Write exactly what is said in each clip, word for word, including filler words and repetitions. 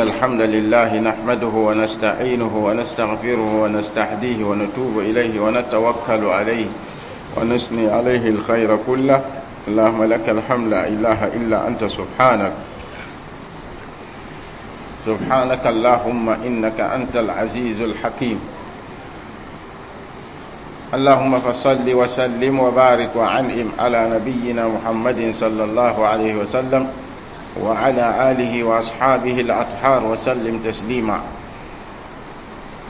الحمد لله نحمده ونستعينه ونستغفره ونستهديه ونتوب إليه ونتوكل عليه ونثني عليه الخير كله. اللهم لك الحمد، لا إله إلا أنت، سبحانك سبحانك اللهم إنك أنت العزيز الحكيم. اللهم فصل وسلم وبارك وعنئم على نبينا محمد صلى الله عليه وسلم وعلى آله وأصحابه الأطهار وسلم تسليما.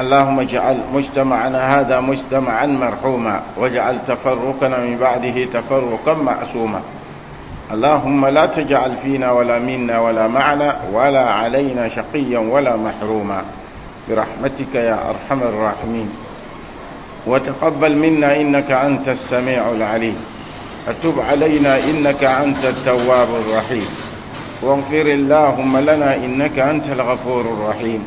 اللهم اجعل مجتمعنا هذا مجتمعا مرحوما، واجعل تفرقنا من بعده تفرقا معصوما. اللهم لا تجعل فينا ولا منا ولا معنا ولا علينا شقيا ولا محروما، برحمتك يا أرحم الراحمين. وتقبل منا إنك أنت السميع العليم، وتب علينا إنك أنت التواب الرحيم، واغفر اللهم لنا إنك أنت الغفور الرحيم.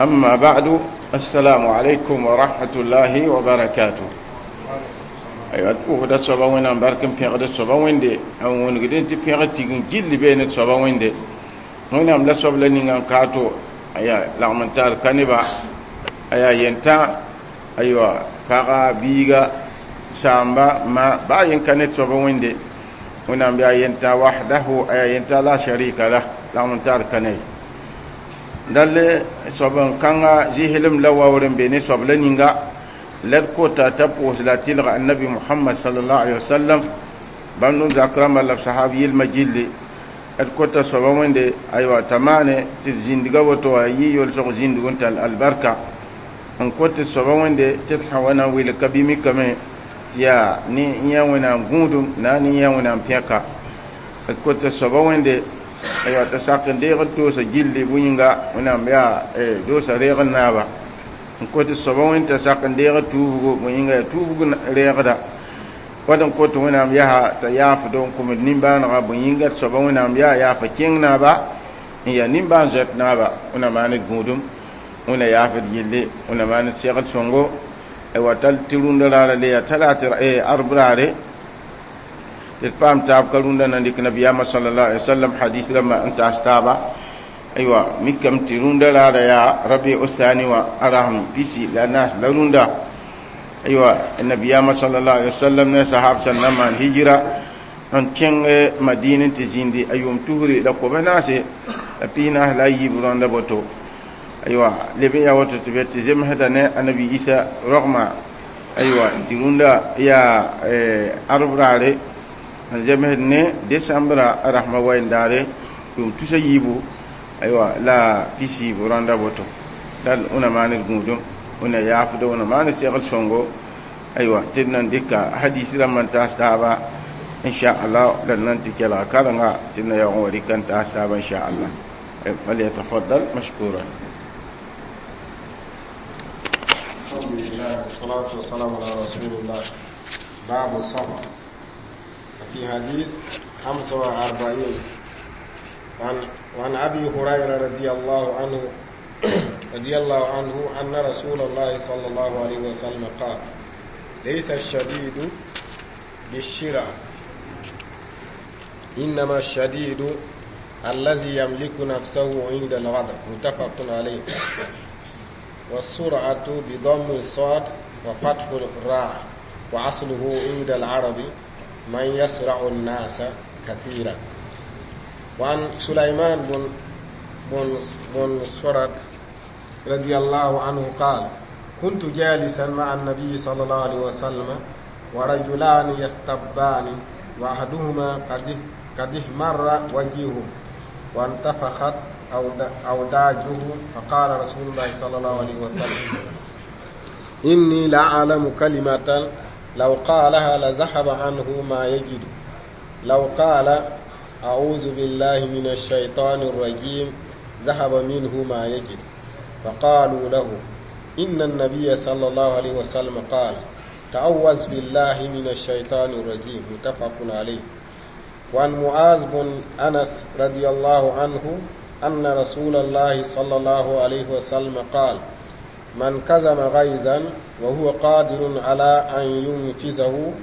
أما بعد، السلام عليكم ورحمة الله وبركاته. Aywa, pʋʋsda soaba Wẽnnaam bark n pẽgd soaba Wẽnde n wõngd tɩ pẽgd tigim gill bee ne soaba Wẽnde. Wẽnnaam la soab la ninga n kaato aya lagm n tar ka neba aya yentã aywa paga biiga saamba ma baa yen ka ne soaba Wẽnde. Wẽnnaam yaa yentã wahdahu, aya yentã la sharika lah, lagm n tar ka ne dall soab n kãnga zɩslem la waoor n be ne soab la ninga la d kota t'a pʋʋs la tɩlga annabi Muhammad sallallahu alaihi wasallam bãmb no zak rãmba la b sahab yɩlmã gilli. D kota soaba Wẽnde aywa t'a maane tɩ d zĩndga woto wa yɩ yolsg zĩndg n tall albarka n kot tɩ soaba Wẽnde tɩ d sã wa na n wilg ka bɩ mikame tɩ yaa ne yã Wẽnnaam gũudum na ne yã Wẽnnaam pẽka. D kota soaba Wẽnde aywa t'a sak n deeg d doosa gilli bʋ yĩnga Wẽnnaam yaa doosa reeg n naaba n kot soaba Wẽnd t'a sak n deeg tuubgo bõ yĩnga yaa tuubg reegda wad n kot Wẽnnaam yaa t'a yaafdo n kʋmd nimbãanega bõ yĩnga d soaba Wẽnnaam yaa yaafa kẽng naaba n yaa nimbãan zoɛt naaba. Wẽnna maan d gũudum, Wẽnna yaafd yelle, Wẽnna maan d segl sõngo wa tall tɩ rũndã raara le yaa talaat arb raare tɩ d paam taab ka rũndã na n dɩk nabiyaamã sallallahu alaihi wasallam hadis rãmbã n taas taaba. Aywa, mikame tɩ rũndã raara yaa rabi osani wã a rasem pisi la naas la rũndã. Aywa, nabiyaamã sallallahu alaihi wasallam ne sahab sẽn na maan hijira n kẽng Madina tɩ zĩndi a yʋʋm tusri la koba naase la pis naas la a yiib rãnda boto. Aywa, leb n yaa woto tɩ be tɩ zemsda ne annabi Isa rogma. Aywa, tɩ rũndã yaa arb raare n zemsd ne desãmbra a rasmã wayendaare yʋʋm tusa yiibu aywa la pisiib rãnda boto. Dal wẽna maan d gũudum, wẽna yaafdo, wẽna maan segl sõngo. Aywa, tɩ d nan dɩka hadis rãmbã n taas taaba inchallah. La d nan tɩ kelga karenga tɩ d na yaoog n wa rɩka n taas taaba inchallah. فليتفضل مشكورا. الحمد لله والصلاة والسلام على رسول الله. باب الصبر. في حديث خمسة وأربعين وعن, وعن أبي هريرة رضي الله عنه رضي الله عنه أن رسول الله صلى الله عليه وسلم قال: ليس الشديد بالشرع، إنما الشديد الذي يملك نفسه عند الغضب. متفق عليه. والسرعة بضم الصاد وفتح الراء، وأصله عند العرب من يسرع الناس كثيرا. وعن سليمان بن بن بن صرد رضي الله عنه قال: كنت جالسا مع النبي صلى الله عليه وسلم ورجلان يستبان، وأحدهما قد قد احمر وجهه وانتفخت أوداجه، فقال رسول الله صلى الله عليه وسلم: إني لأعلم كلمة لو قالها لذهب عنه ما يجد، لو قال: أعوذ بالله من الشيطان الرجيم، ذهب منه ما يجد. فقالوا له: إن النبي صلى الله عليه وسلم قال: تعوذ بالله من الشيطان الرجيم. متفق عليه. وعن معاذ بن أنس رضي الله عنه أن رسول الله صلى الله عليه وسلم قال: من كظم غيظا وهو قادر على أن ينفذه،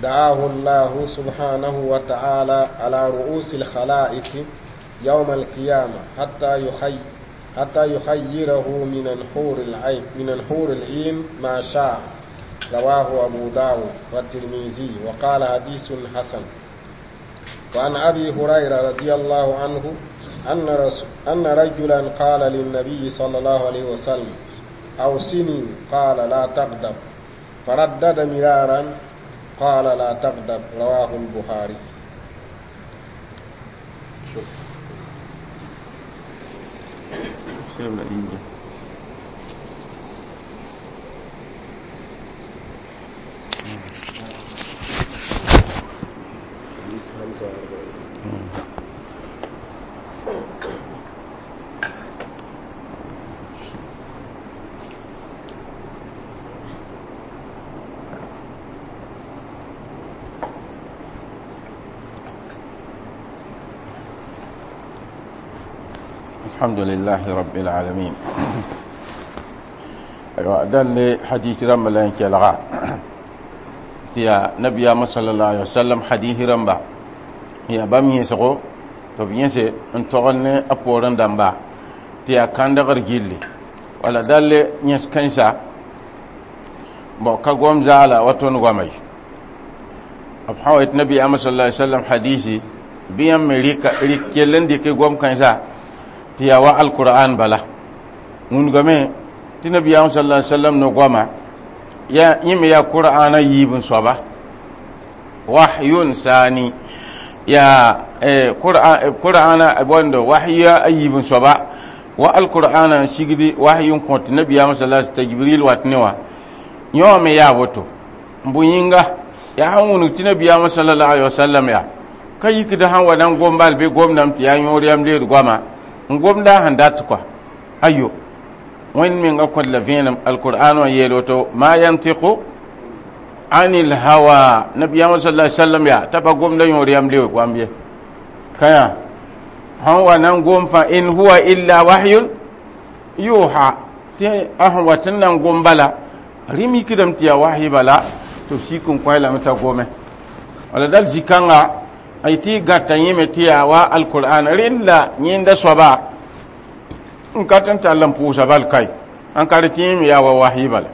دعاه الله سبحانه وتعالى على رؤوس الخلائق. يوم القيامة حتى يخي حتى يخيره من الحور العين من الحور العين ما شاء. رواه أبو داود والترمذي وقال حديث حسن. وعن أبي هريرة رضي الله عنه أن, رس أن رجلا قال للنبي صلى الله عليه وسلم أوصني، قال لا تغضب، فردد مرارا قال لا تغضب. رواه البخاري. الحمد لله رب العالمين. أيوة دل حديث رمى لين كلغا تيا نبي صلى الله عليه وسلم حديث رمى هي بام يسقو تو ينسى ان تغني أبورن دمبا تيا كاندغر جيلي ولا دل ينس كنسا بو كغوم زالا وتون غمي أبحوت نبي صلى الله عليه وسلم حديثي بيام مليكا ريكيلن ديكي غوم كنسا tɩ yaa wa alqur'an bala wũnigame tɩ nabiyaam sallallahu alaihi wasallam no goama ya yẽ me yaa qur'ana yiib n soaba wahyun sani ya qur'ana bondo wahya a yiib n soaba wa alqur'ana n sigdi wahyun kõt nabiyaam sallallahu alaihi wasallam jibril wat ne wã yõ me yaa woto n bʋ yĩnga yaa sãn wũnug tɩ nabiyaam sallallahu alaihi wasallam yaa ka yikd sãn wa na n gom bal bɩ gomdame tɩ yaa yõor yam leed goama n gomda sẽn dat kɔa ayo wẽnd menga kõt la vẽenem alqur'an wã yeel woto ma yantiqu anil hawa nabiyaamã sallallahu alaihi wasallam yaa t'a pa gomda yõor yam leoog wãmb ye ka yã sẽn wa na n gom fãa in huwa illa wahyun yuha tɩ a sẽn wat n na n gom bala rɩm yikdame tɩ yaa wahyi bala tɩ b sik n kõ lame t'a gome wala dal zĩ-kãnga ay tɩ gãta yẽme tɩ yaa wa alqur'an rẽnd la yẽnda soaba n ka tɩ n tall n pʋʋsa bal kai n ka rɩ tɩ yẽme yaa wa wahyi bala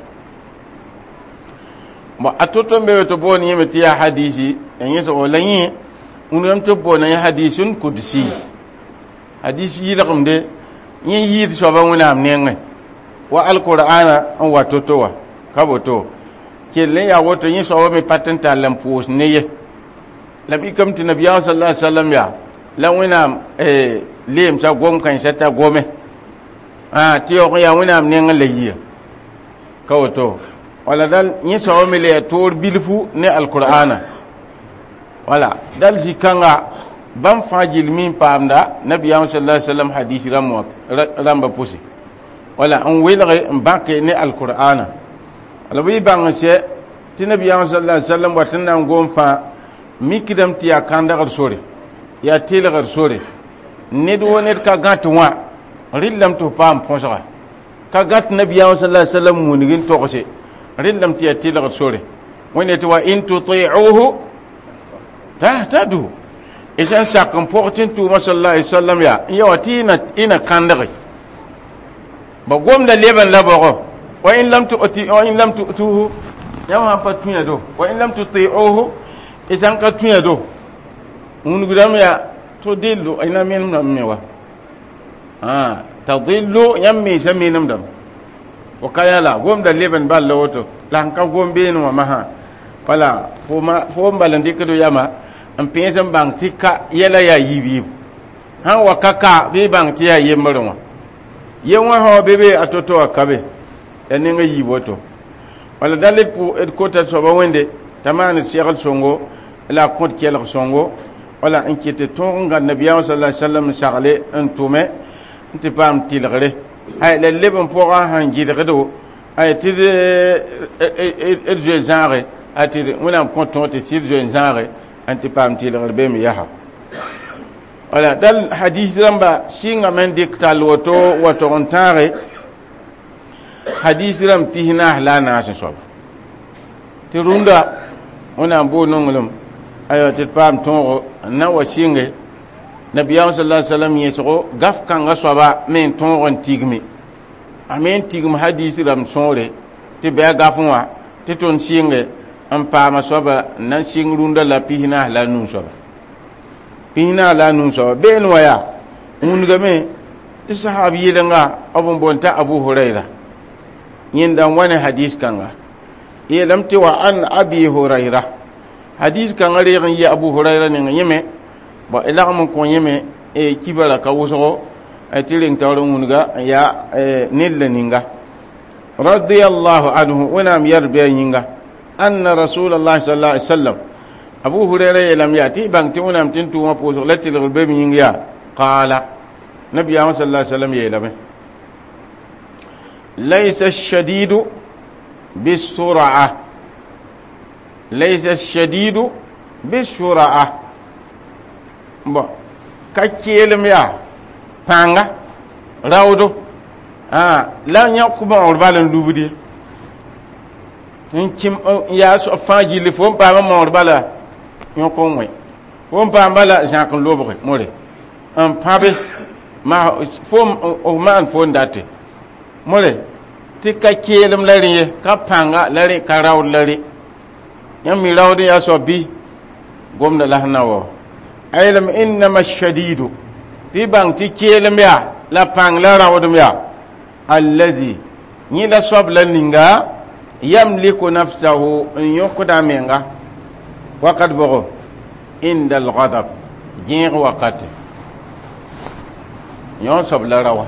bon a to-to n be tɩ boon yẽme tɩ yaa hadisi yẽ la yẽ wũnigame tɩ b boona yẽ hadisun kudsi hadis yɩlgemde yẽ yɩɩd soaba wẽnnaam nengẽ wa alqur'ana n wa to-to wã ka boto kell n yaa woto yẽ soaba me pa tɩ n tall n pʋʋs ne ye la b ikame tɩ nabiyaam sallallahu alaihi wasallam yaa la wẽnnaam leemsa gom kãensã t'a gome tɩ yaoog n yaa wẽnnaam nengẽ la yia ka woto wala dal yẽ soaba me le yaa toor bilfu ne alqur'ana wala dal zĩ-kãnga bãmb fãa gill mi n paamda nabiyaam sallallahu alaihi wasallam hadis rãmba pʋse wala n welge n bãke ne alqur'ana wala bɩ y bãng n sɛ tɩ nabiyaam sallallahu alaihi wasallam wat n na n gom fãa mikdame tɩ yaa kãndgr sore yaa telgr sore ned wo ned ka gãt wã rɩllame tɩ f paam põsga ka gãt nabiyaam sallallahu alaihi wasallam wũnug n togse rɩllame tɩ yaa telgr sore wẽnde tɩ wa in tuti'uhu tahtadu y sẽn sak n pʋg tɩ n tʋʋma sallallahu alaihi wasallam yaa n ya wa tɩ y na kãndge ba gomda leb n la bɔgɔ wa in lam tu'ti wa in lam tu'tuhu yãmb sãn pa tũ do wa in lam tuti'uhu y sãn ka tũ do wũnugdame yaa tudillu ina menemdame me wa tadillu yãmb mensa menemdame fo ka yã la gomda leb n bal la woto la sẽn ka gom beene wã masã wala fo n bal n dɩkd yama n pẽes n bãng tɩ ka yɛla yaa yiib yiib sãn wa ka ka bɩ y bãng tɩ yaa yembrẽ wã ye wã sã wa be be a to-to wã ka be yaa nengã yiib woto wala dal d kota soaba wẽnde t'a maan segl sõngo la a kõt kelg sõngo wala n ket tõog n gãd nabiyaam sallallahu alaihi wasallam n sagle n tʋme n tɩ paam tɩlgre ay la leb n pʋgã sẽn gɩdgdo ay tɩ d zoe zãage a tɩ wẽnnaam kõ tõog tɩ sɩd zoe n zãage n tɩ paam tɩlgr be me yaa wala dal hadis rãmba sɩngame n dɩk tall woto wa tog n tãage hadis rãmb pis naas la a naas n soaba tɩ rũndã wẽnnaam boog nonglem aywa tɩ d paam tõogo n na wa sɩnge Nabiyaam sallallahu alaihi wasallam yẽsgo gaf kãngã soaba me n tõog n tigme a me n tigm hadis rãmb sõore tɩ bɩ a gafẽ wã tɩ tõnd sɩnge n paama soaba n na n sɩng rũndã la pis-naas la a nu soaba pis-naas la a nu soaba been wã yaa wũnigame tɩ sahab yɩlenga b n boond t'a Abu Hurayra yẽnda n wa ne hadis kãnga yeelame tɩ wa an Abi Hurayra hadis kãngã reeg n yɩ Abu Hurayra neng yẽme bon d lagm n kõ yẽme kibara ka wʋsgo tɩ reng taoor n wũnga n yaa ned la ninga radiyallahu anhu wẽnnaam yɛr bɩ a yĩnga anna rasulallah sallallahu alaihi wasallam Abu Hurayra yeelame yaa tɩ y bãng tɩ wẽnnaam tɩ n tʋʋmã pʋʋsg la tɩlgr be b yĩng yaa qaala nabiyaamã sallallahu alaihi wasallam yeelame laysa الشديد بالسرعة ليس الشديد بالسرعة bon ka keelem yaa pãnga raoodo la yãk maoor bal n lubd ye n kẽm yaa soab fãa gilli fo n paam n maoor bala yõk n wẽ fo n paam bala zãk n lobge more n pãbe fo maan fo n date more tɩ ka keelem la rẽ ye ka pãnga la rẽ ka raood la rẽ yãmb mi raood n yaa soab bɩ gomda la sẽn na wa ayelame innama shadidu tɩ bãng tɩ keelem yaa la pãng la raoodem yaa allazi yẽ la soab la ninga yamliku nafsahu n yõkda a menga wakat bʋgo inda algadab gẽeg wakate yõ soab la rawa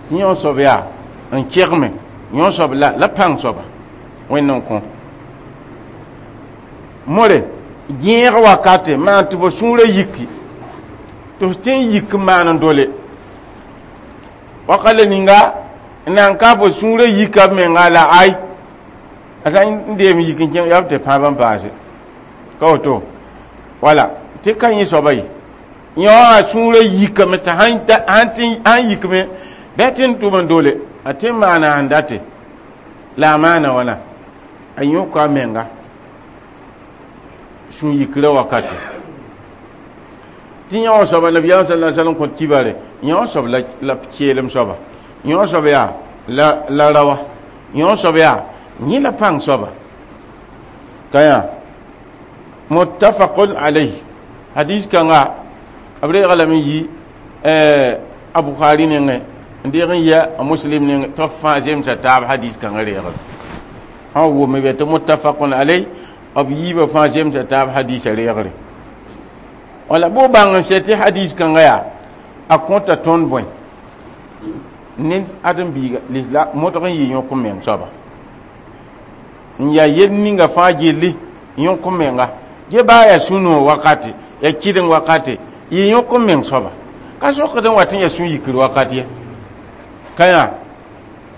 tɩ yõ soab yaa n kegme yõ soab la la pãng soaba wẽnd n kõ more gẽeg wakate maan tɩ fo sũurã yiki tɩ f tẽ n yik n maan n dole waka la ninga n nan ka fo sũurã yika b menga la ay a sã n deem yik n kẽng yaa b tɩ pãab n paase ka woto wala tɩ ka yẽ soaba ye yõ a sũurã yikame tɩ sãn yikme bɩ a tɩ n tʋm n dole a tɩ n maana sẽn date la a maana wãna a yõka a menga sũ yikrã wakate tɩ yõ soaba nabiyaam sala sallam kõt kibare yõ soab la keelem soaba yõ soab yaa la la rawa yõ soab yaa yẽ la pãng soaba ka yã muttafaqun alayh hadis kãnga b reega lame yi a Bukhari nengẽ n deeg n yɛ a Muslim nengẽ tɩ b fãa zemsa taab hadis kãngã reegl sã wʋme bɛ tɩ muttafaqun alayh b yiibã fãa zemsa taab hadisã reegre wala bʋ bãng n sɛ tɩ hadis kãngã yaa a kõta tõnd bõe ned ãdem-biiga lisla modg n yɩ yõk n meng soaba n yaa yel ninga fãa gilli yõk n menga ge baa yaa sũ-noog wakate yaa kɩdeng wakate yɩ yõk n meng soaba ka sokd n wat n yaa sũ-yikr wakat ye ka yã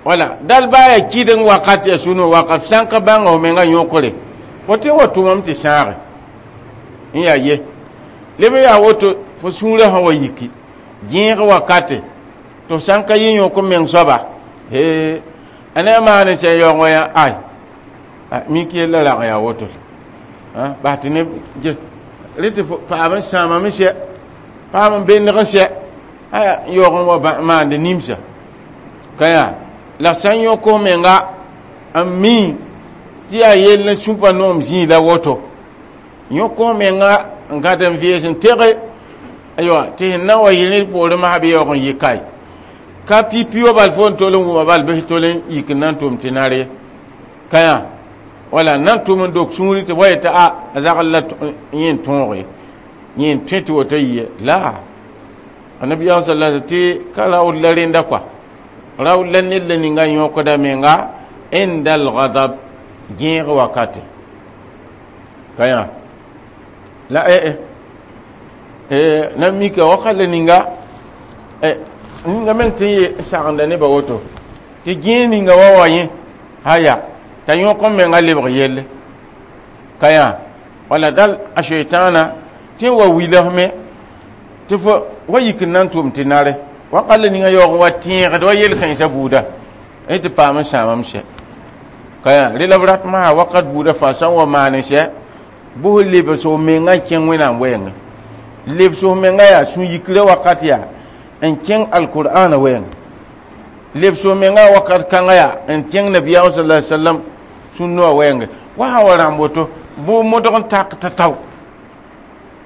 wala dal baa yaa kɩdeng wakat yaa sũ-noog wakat sã n ka bãnga f menga yõkre fo tɩ wa tʋmame tɩ sãage n yaa ye leb n yaa woto fo sũurã sã wa yiki gẽeg wakate tɩ f sã n ka yɩ yõk n meng soaba he a ne a maan n sẽn yaoog wã yã ay mik yella rag n yaa woto bas tɩ neb rẽ tɩ paam n sãamame sɛ paam n bendg n sɛ aya yaoog n wa maand nimsa ka yaa la sã n yõk f menga n mi tɩ yaa yell n sũpa noom zĩig la woto yõk f menga n gãd n vɩɩs n tege aywa tɩ sẽn na wa yɩ rẽ poorẽ masã bɩ yaoog n yɩ kae ka pipi wa bal fo n tol n wʋma bal bɩ tol n yik n na n tʋm tɩ nar ye ka yã wala n na n tʋm n dok sũuri tɩ wa yetɩ a a zagl la yẽ n tõog ye yẽ n tõe tɩ woto yɩ la annabiyaam sala tɩ ka raood la rẽnda kɔa raood la ned la ninga yõkda menga inda algadab gẽeg wakate ka yã la eh eh na mika wakat la ninga ninga meng tɩ n sagenda nebã woto tɩ gẽeg ninga wa wa yẽ haya t'a yõk n menga lebg yelle ka yã wala dal a sheitãana tɩ n wa wilsme tɩ fo wa yik n na n tʋm tɩ nare wakat la ninga yaoog n wa tẽegd wa yel-kãensã buuda tɩ paam n sãamame sɛ ka yã rẽ la b rat masã wakat buudã fãa sã n wa maan n sɛ bʋs lebs f menga n kẽng wẽnnaam wɛɛngẽ Lebs f menga yaa sũ-yikra wakat yaa n kẽng alqur'ana wɛɛngã. Lebs f menga wakat kãngã yaa n kẽng nabiyaam sala sallam sũ-noa wɛɛnge. Wa sã wa rãmb woto bʋ modg n tak t'a tao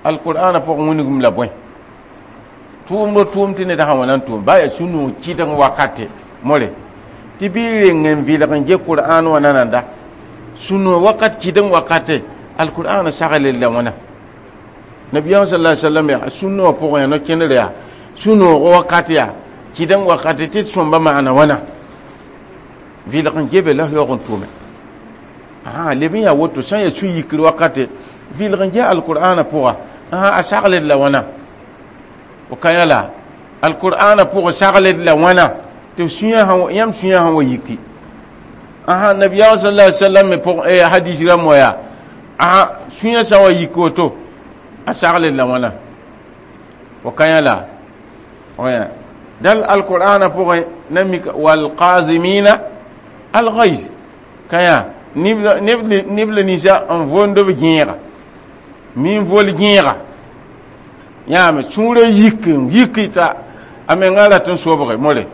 alqur'ana pʋgẽ wĩnigem la bõe tʋʋmd tʋʋm tɩ ned sã wa na n tʋʋm baa yaa sũ-noog kɩdg wakate more tɩ bɩ reng n vɩlg n ge qur'an wã nananda sũ-noog wakat kɩdg wakate alqur'an sagl la wãna. Nabiyaam sallallahu alaihi wasallam yaa sũ-noog pʋgẽ yaa no-kẽnder yaa sũ-noog wakat yaa kɩdg wakate tɩ d sõmba maana wãna vɩlg n gebe la f yaoog n tʋʋme a leb n yaa woto sã n yaa sũ-yikr wakate vɩlg n ge alqur'ana pʋga a sagled la wãna o ka yã la alqur'ana pʋgã sagled la wãna tɩ sũyã yãmb sũyã sã wa yiki asa nabiyaam sallallahu alaihi wasallam me pʋg hadis rãmb wã yaa asa sũyã sã wa yik woto a sagled la wãna o ka yã la dal alqur'ana pʋgẽ na mik walqazimina alghayz ka yã neb la ninsã n vond b gẽega min vol gẽega yãame sũurã yik n yik t'a a menga rat n sobge more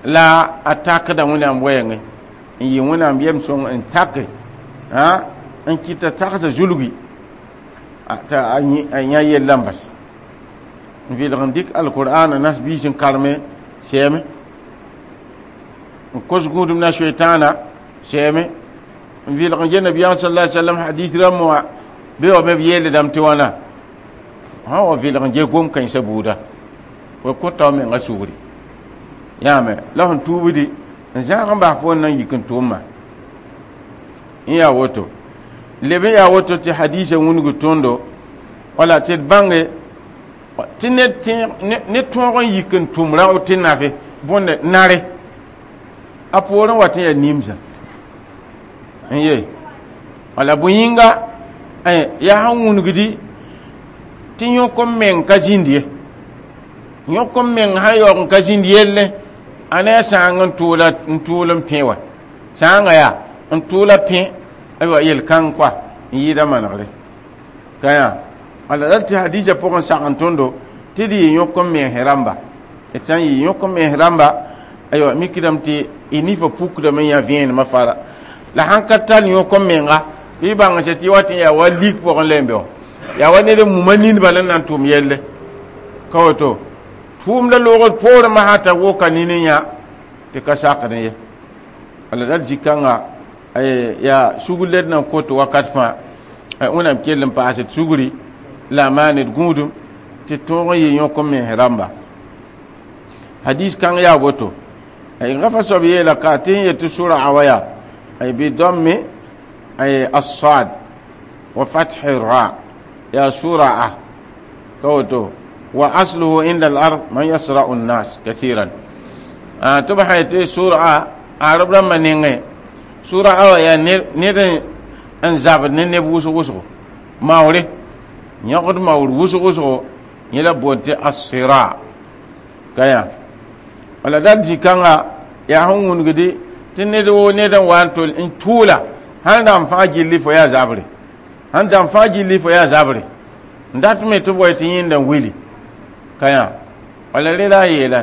la a takda Wẽnnaam wɛɛngẽ n yɩ Wẽnnaam yɛm sõng n take n kɩta tagsa zulgi t'a a yã yellã n bas n vɩlg n dɩk alqur'ana nas biis n karme sɛɛme n kos gũudum na soetãana sɛɛme n vɩlg n ge nabiyaam sallallahu alaihi wasallam hadith rãmb wã be wa me b yeeldame tɩ wãna sã wa vɩlg n ge gom kãensã buuda fo kõta f menga sugri yãame la sẽn tuubdi n zãag n bas fo n na n yik n tʋʋmã n yaa woto leb n yaa woto tɩ hadisa wĩng tõndo wala tɩ d bãnge tɩ ned tõog n yik n tʋm rao tɩ nafe bõnde nare a poorẽ wat n yaa nimsã n ye wala bõe yĩnga yaa sẽn wũnugdi tɩ yõk n meng ka zĩnd ye yõk n meng sã yaoog n ka zĩnd yelle a ne a sãang n tʋʋla n tʋʋl n pẽ wa sãanga yaa n tʋʋla pẽ aywa yel-kãng koa n yɩɩda manegre ka yã wala dal tɩ hadisa pʋgẽ sag n tõndo tɩ d yɩ yõk n mens rãmba d sã n yɩ yõk n mens rãmba aywa mikdame tɩ y nifã pukdame n yã vẽenemã fara la sãn ka tar yõk n menga bɩ bãng sã tɩ wat n yaa wa lik pʋgẽ la n be wã yaa wa ned n muma nindbã la n na n tʋm yelle ka woto tʋʋmda loogd poorẽ masã t'a woka nin n yã tɩ ka sakd ye wala dal zĩ-kãnga yaa sugr la d nan kot wakat fãa Wẽnnaam kell n paasd sugri la a maan d gũudum tɩ tõog n yɩ yõk n mens rãmba hadis kãng yaa woto rafa soab yeela ka tɩ sẽn yetɩ sʋra wa yaa بضم الصاد وفتح الراء يا سرعة كوتو وأصله عند الأرض من يسرع الناس كثيرا آه تبحي سرعة عرب لما نينغي سرعة يا نير ان زاب نيب وسو وسو ماوري يقد ماور وسو وسو يلا بوتي الصراع كيا ولا دال جيكانغا يا هون ونغدي tɩ ned woo ned n wa n tol n tʋʋla sãn dãmb fãa gilli fo yaa zabre sãn dãmb fãa gilli fo yaa zabre n dat me tɩ boe tɩ yẽnda n wili ka yã wala rẽ la a yeela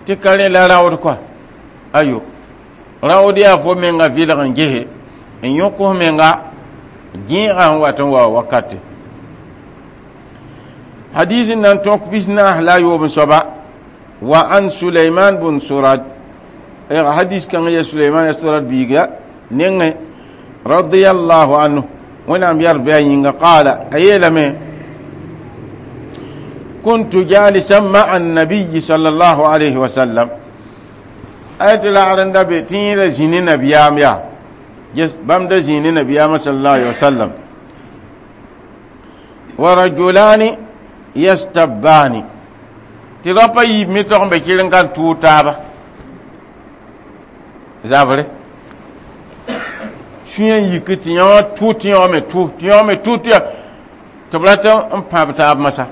tɩ ka rẽ la raood koa ayo raood yaa fo menga vɩlg n gese n yõk f menga gẽegã sẽn wat n wa wakate hadis n na n tõk pis-naas la a yoob n soaba wa an Suleiman bun Surad hadis kãng ya Suleiman ya Surad biiga nengẽ radiyallahu anhu Wẽnnaam yar bɩ a yĩnga qaala a yeelame كنت جالسا مع النبي صلى الله عليه وسلم ayat la aranda be tɩ zĩni nabiyaam yaa bãmb da zĩni nabiyaamã صلى الله عليه وسلم ورجلان يستبان tɩ rapa yiib me tog n be kɩr n kan tʋʋg taaba zabre sũyã yik tɩ yã tʋ tɩ yã me tʋ tɩ yã me tʋ tɩ tɩ b rat n pãb taab masã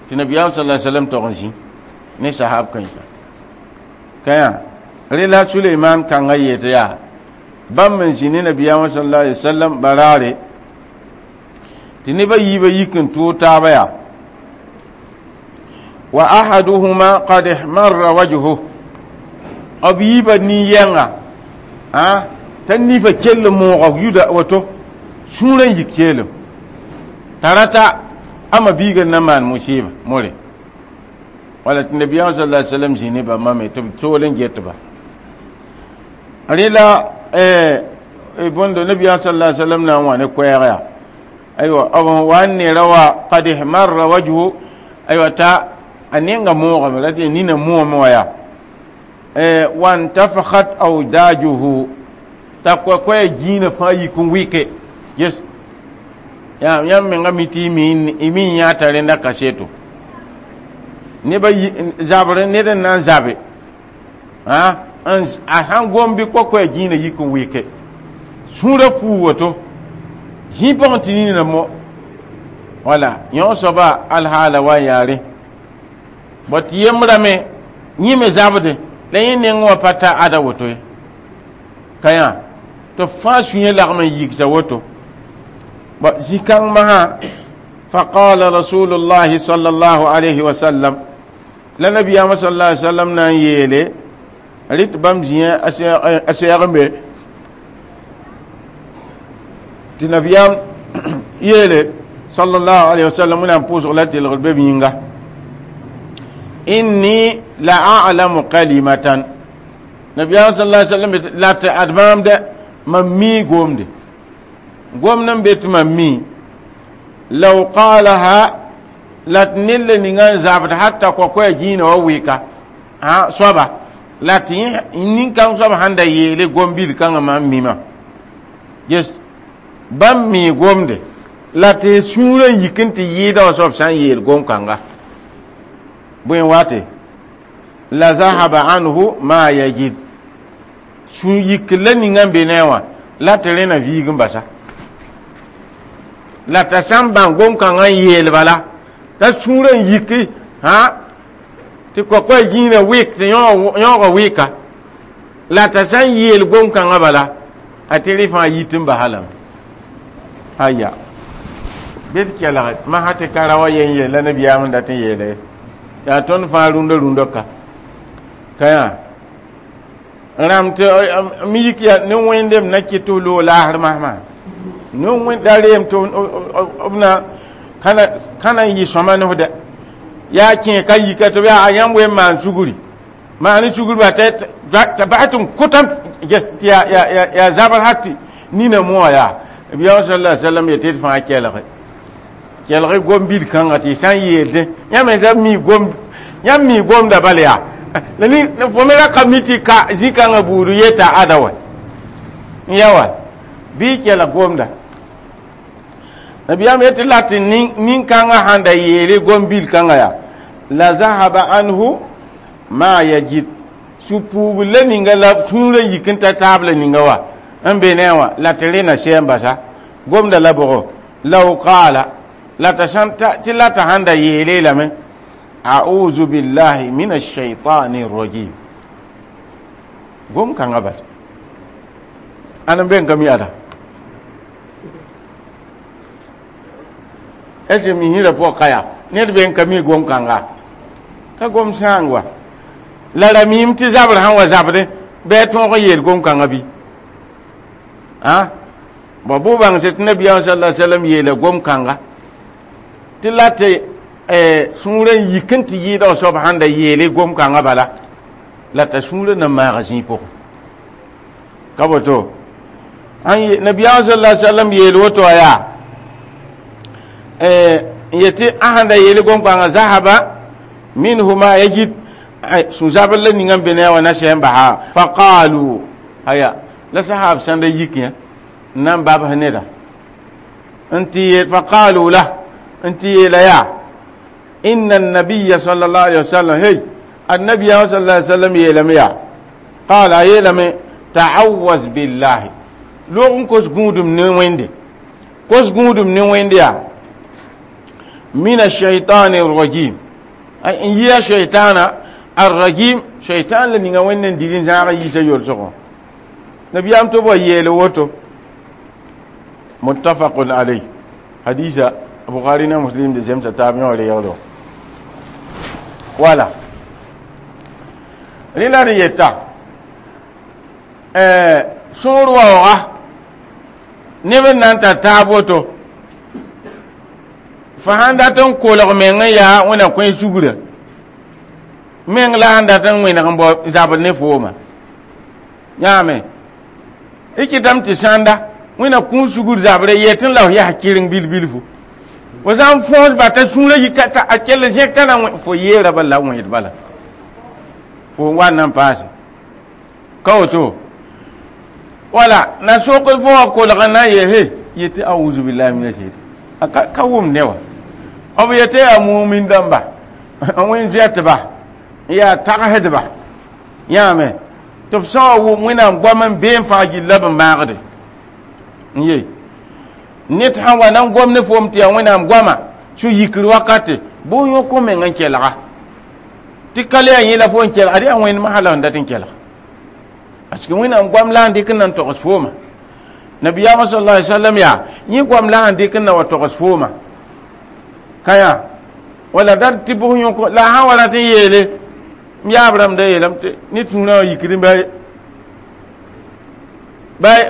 tɩ nabiyaam صلى الله عليه وسلم tog n zĩ ne sahab kãensa ka yã rẽ la Suleiman kãngã yetɩ yaa bãmb n zĩ ne nabiyaamã صلى الله عليه وسلم baraare tɩ nebã yiibã yik n tʋʋg taaba yaa Wa ahaduhuma qad ihmarra wajhu, b yiibã nin-yɛnga t'a nifa kell n mooga yuda woto sũurã n yik keelem t'a rata ama biiga n na maan musɩɩba more wala tɩ nabiyaam sala alai sallam zĩ ne bãmba me tɩ b tool n get ba rẽla bõndo nabiyaam sala alai sallam na n wa ne koɛɛg yaa aywa b sẽn wa n neera wa qad ihmarra wajhu aywa t'a a nenga moogame la tɩ nina moome wã yaa wantafakhat awdajuhu t'a koɛ-koɛɛ gĩinã fãa yik n wɩke ges yaa yãmb menga mi tɩ y mi yã t'a rẽnda kaseto neba zabr ned n na n zabe a sãn gom bɩ koɛ-koɛɛ gĩinã yik n wɩke sũurã puu woto zĩ pʋgẽ tɩ nina mo wala yõ soaba alhaala wa n yaare bõ tɩ yembrame yẽ me zabde la yẽ neng wã pa ta ada woto ye ka yã tɩ fãa sũyã lagm n yigsa woto zĩ-kãng masã faqala rasulullahi sallallahu alayhi wa sallam la nabiyaamã sallallahu alayhi wa sallam na n yeele rɩt bãmb zĩã a sɛɛg tɩ nabiyaam yeele sallallahu alayhi wa sallam wẽnnaam pʋʋsg la telgr be b yĩnga inni la a'lamu kalimatan nabiyaam sallallahu alayhi wa sallam la tɩ ad maam dɛ mam mii gomde gomd n be tɩ mam mi law qalaha la tɩ ned la ninga n zabd hatta kokoya gĩinã wa wɩka soaba la tɩ nin-kãng soab sãn da yeele gom-bil kãngã mam mima ges bãmb mi gomde la tɩ sũurã n yik n tɩ yɩɩda wã soab sã n yeel gom-kãnga bõe wate la zahaba anhu ma yajid sũ yik la ninga n be ne wã la tɩ rẽna viig n basa la t'a sã n bãng gom-kãngã n yeel bala t'a sũurã n yiki hã tɩ kokoa gĩinã wɩk tɩ yõoga wɩka la t'a sã n yeel gom-kãngã bala a tɩ rẽ fãa yit n basa lame aya bɩ d kelge masã tɩ ka ra wa yen yeel la nabiyaam n dat n yeele yaa tõnd fãa rũndã rũndã ka ka yã rãmb tɩ mi yik ya ne wẽndem na kɩt tɩ f loog laasr masmã ne wẽnd da reem tɩ b na ka na n yɩ sõma ne f dɛ yaa kẽ ka yika tɩ b yaa yãmb wen maan sugri maan sugri ba t'a bas tɩ n kʋtã tɩ yaa zabr ha tɩ nina moa yaa biyaam sallallahu alaihi wasallam yetɩ d fãa kelge kelge gom-bil kãnga tɩ sã n yeelde yãmb me mi gom yãmb mi gomda bal yaa la ni fo me ra ka mi tɩ ka zĩ-kãngã buud yeta ada wa n ya wa bɩ kelg gomda nabiyaam yetɩ la tɩ nin-kãngã sãn da yeele gom-bil kãngã yaa la zahaba anhu ma yajid sũ-puugr la ninga la sũurã yik n ta taab la ninga wa n be ne wã la tɩ rẽna sɛ n basa gomda la bʋgo law qaala la t'a sãn tɩ la t'a sãn da yeele lame a'udhu billahi min ash-shaytani rajim gom kãngã bas ãn n be n ka mi ada est ce mi hĩrã pʋgã ka yaa ned be n ka mi gom kãnga ka gom sãang wa la ra miime tɩ zabr sãn wa zabdẽ bɩ a tõog n yeel gom-kãngã bɩ a bõ bʋ bãngse tɩ nabiyaam sala sallam yeela gom-kãnga tɩ la tɩ sũurã n yik n tɩ yɩɩda soab sãn da yeele gom-kãngã bala la t'a sũurã na maaga zĩig pʋgẽ ka boto nabiyaam sala sallam yeel woto wa yaa n yetɩ a sãn da yeele gom-kãngã zahaba minhu ma yajid sũ-zabr la ninga n be ne a wã na sɛ n basa faqalu aya la sahab sãn da yik yã n na n babs neda n tɩ yeel faqalu la n tɩ yeela yaa inna annabiya sallallahu alaihi wasallam hey annabiya sallallahu alaihi wasallam yeelame yaa qala a yeelame ta'awaz billahi loog n kos gũudum ne wẽnde kos gũudum ne wẽnde yaa min ashaitani rajim n yɩa shaitana arrajim shaitan la ninga wẽnd n dig n zãag n yiisa yolsgõ nabiyaam tɩ b wa yeele woto muttafaqun alayh hadisa bukhari na muslim de zemsa taab yõ reegdo Wala rẽ la d yeta sõor waooga neb n na n tar taab woto fo sãn dat n kolg meng n yaa wẽna kõ sugra meng la sãn dat n wẽneg n bao zabr ne fooma yãame y kɩtame tɩ sãnda wẽna kũus sugr zabrã yetẽ la f yaa kɩreng bil-bilfu fo sã n fõos bata sũurã yika a kell zẽk t'a na fo yeera bala la wẽed bala fo wa n na n paase ka woto wala na sokd fo wã kolg n na n yeel he yetɩ auzu billahi mina shaitan ka wʋm ne wa b yetɩ yaa mumin dãmba n wẽn zoɛtba n yaa tagsdba yãame tɩ b sã wa wʋm wẽnnaam goam n bee n fãag gilla b n maagde n ye ned sãn wa na n gom ne foom tɩ yaa wẽnnaam goama sũ-yikr wakate bʋ yõk meng n kelga tɩ ka le yaa yẽ la fo n kelg ad yaa wẽnd masã la n dat n kelg parce que wẽnnaam goam la n dɩk n na n togs fooma nabiyaamã sallallahu alaihi wasallam yaa yẽ goam la sẽn dɩk n na wa togs fooma ka yaa wala dat tɩ bʋs yõk la a sã wa rat n yeele m yaab rãmb da yeelame tɩ ne tũurã wã yikd ba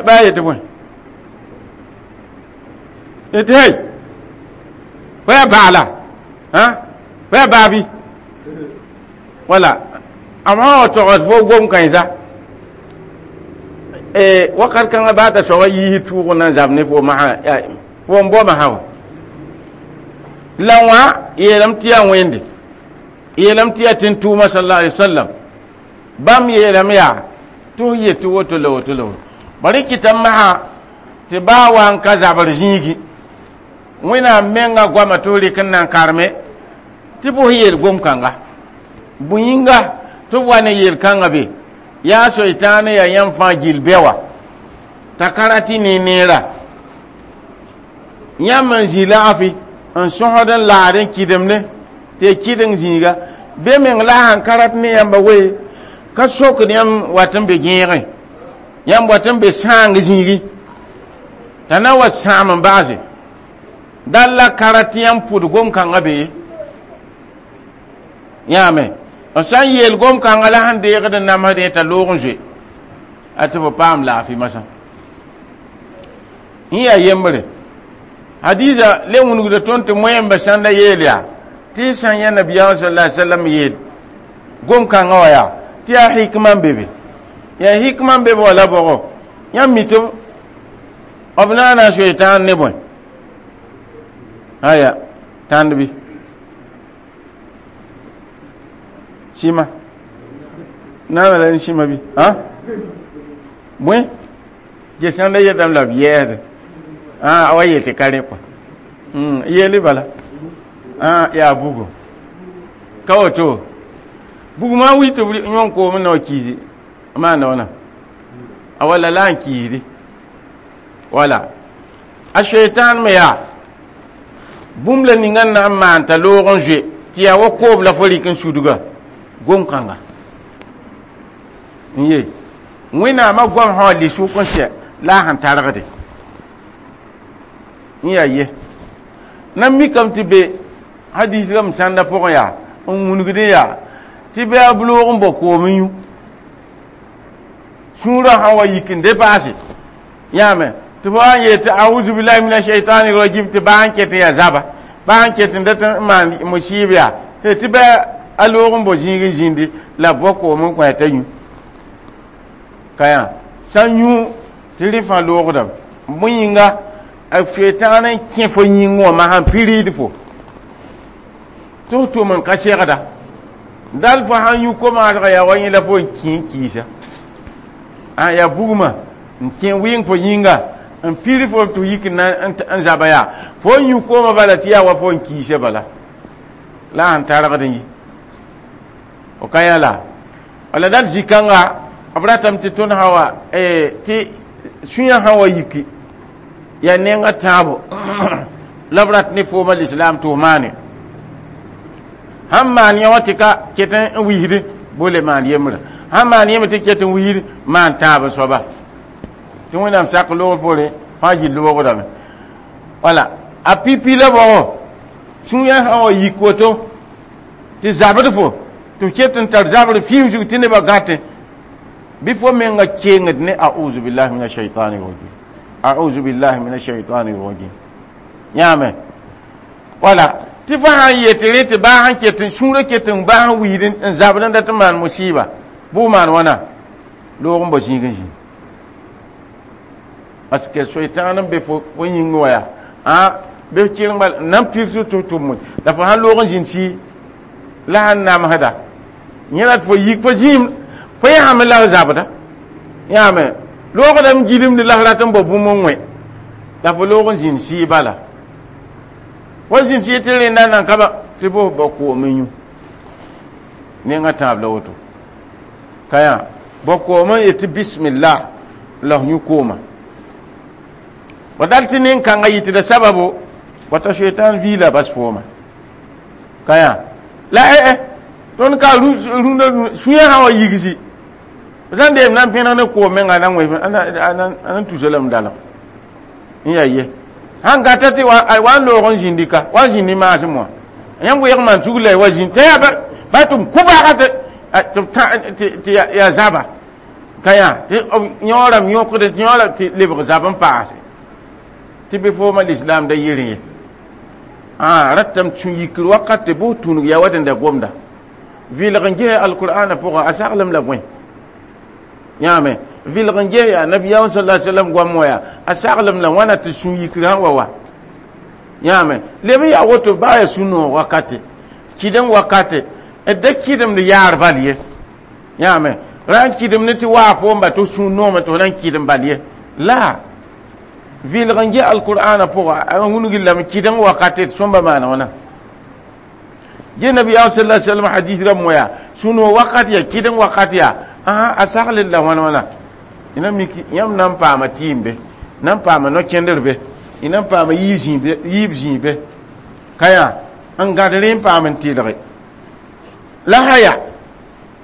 ba yetɩ bõe yetɩ hey fo yaa baala fo yaa baabi wala a sã wa togs fo gom kãensa wakat kãngã baa t'a soaba yiis tʋʋg n na n zab ne fo masã fo n bao masã wa la wã yeelame tɩ yaa wẽnde yeelame tɩ yaa tẽn-tʋʋma sallallahu alaihi wasallam bãmb yeelame yaa tɩ f yetɩ woto la woto la woto bari kɩtame masã tɩ baa wa n ka zabr zĩigi wẽnnaam menga goama tɩ f rɩk n na n karme tɩ bʋs yeel gom-kãnga bũ-yĩnga tɩ b wa ne yel-kãngã be yaa soitaan yaa yãmb fãa gill bɛ wa t'a ka rat y ne neera yãmb n zĩ laafɩ n sõsd n laad n kɩdemde tɩ y kɩdeng zĩiga be meng la sãn ka rat ne yãmba we ka sokd yãmb wat n be gẽegẽ yãmb wat n be sãang zĩigi t'a na wa sãam n baase dal la ka rat yãmb pʋd gom-kãngã be ye yãame b sã n yeel gom-kãngã la sẽn deegd n namsdẽ t'a loog n zoe a tɩ b paam laafɩ masã yẽ yaa yembre hadiza le wũnugda tõnd tɩ moẽmba sãnda yeel yaa tɩ y sã n yã nabiyaamã sal la sallam yeel gom-kãngã wã yaa tɩ yaa hikma n be be yaa hikma n be be wala bɔgɔ yãmb mi tɩ b naana soe tãan ne bõe aya tãnd bɩ sɩma naana la ne sɩma bɩ ã bõe ge sãnda yetame la b yɛɛsde a wa yel tɩ ka rẽ kɔa yeeli bala yaa bugum ka woto bugumã wi tɩ b yõn koom n na wa kiisi maanda wãna a wala la n kiisdi wala a shaitan me yaa bũmb la ninga n na n maan t'a loog n zoe tɩ yaa wa koob la fo rɩk n sudga gom-kãnga n ye wẽnnaamã goam sã wa lɩ sʋk n sɛ la a sẽn targde n yaa ye na mikame tɩ be hadis rãmb sãnda pʋgẽ yaa n wũnugdẽ yaa tɩ bɩ a loog n bao koom n yũ sũurã sã wa yik n depaase yãame tɩ fo wa n yeel tɩ auzu billahi mina shaitani rajim tɩ baa n ket n yaa zaba baa n ket n dat n maan musiib yaa tɩ bɩ a loog n bao zĩig n zĩndi la b bao koom n kõ t'a yũ ka yã sã n yũ tɩ rẽ fãa loogdame bõe yĩnga a shaitan n kẽ fo yĩng wã masã n piriid fo tɩ f tʋm n ka segda dal fo sãn yũ komaasgã yaa wa yẽ la fo n kẽ n kiisa a yaa bugmã n kẽ wɩng fo yĩnga n pir fo tɩ yik n zaba yaa fo n yũ koomã bala tɩ yaa wa fo n kiisa bala la sẽn targd n yi fo ka yã la wala dal zĩ-kãnga b ratame tɩ tõnd sã wa tɩ sũyã sã wa yiki yaa nenga tãabo la b rat ne fooma lislaam tɩ f maane sãn maan yã wã tɩ ka ket n wisd bole maan yembrã sãn maan yẽmb tɩ ket n wisd maan tãab soaba tɩ wẽnnaam sak loog poorẽ fãa gill loogdame wala a pipi la bɔgɔ sũyã sã wa yik woto tɩ Tɩ zabd fo tɩ f ket n tar zabr fĩim zug tɩ nebã gãtẽ bɩ fo menga kengd ne a'uzu billahi min ashaitani rajim, a'uzu billahi min ashaitani rajim. Yãame wala tɩ fo sãn yet rẽ tɩ baa sẽn ket n sũurã ket n baa n wiid n zabd n dat n maan musiba bʋ maan wãna loog n bao zĩig n zĩ parce que soitan n be fo fo yĩng wã yaa a be kɩreng bal nan pirs tɩ tʋm la fo sãn loog n zĩnd sɩ la sãn namsda yẽ la tɩ fo yik fo zĩim fo yãame la f zabda yãame loogdame gilmd la f rat n bao bũmb n wẽ la fo loog n zĩnd sɩ bala fo zĩnd sɩ tɩ rẽnda nan ka ba tɩ fo ba koom n yũ nengã tãab la woto ka yã bao koom n yet tɩ bismillah la f yũ kooma wa dal tɩ nin-kãngã yɩtda sababo wata shaitan viila bas fooma ka yã la eh tõnd ka rũndã sũyã sã wa yigsi sãn deem na n pẽneg ne koom menga na n wẽ a na n tusa lame dalg n yaa ye sãn gata tɩ wa n loog n zĩndi ka wa n zĩndi maasem wã yãmb weeg maan sug la wa zĩnd tɩ yaa ba tɩ b kʋ baaga tɩ yaa zaba ka yã tɩ yõorame yõkd tɩ yõora tɩ lebg zab n paase tɩ bɩ fooma lislaam da yɩrẽ ye a ratame tũ yikr wakat tɩ bʋ tũnug yaa wa dẽnda gomda vɩlg n ges alqur'ana pʋgã a saglem la bõe yãame vɩlg n ges yaa nabiyaam sala sallam goam wã yaa a saglem la wãna tɩ sũ yikr sã wa wa yãame leb n yaa woto baa yaa sũ-noog wakate kɩdem wakate d da kɩdemd yaar bal ye yãame ra n kɩdem ne tɩ waa foom ba tɩ sũ noome tɩ f na n kɩdem bal ye la vɩlg n ges alqur'ana pʋga a wũnug lame kɩdem wakate tɩ sõmba maana wãna ge nabiyaam sala sallam hadith rãmb wã yaa sũ-noog wakat yaa kɩdem wakat yaa a sagl la wãn wãna ina miki yãmb na n paama tɩɩm be na n paama no-kẽndr be y na n paama yiib zĩig be ka yaa n gãd rẽ n paam n tɩlge la haya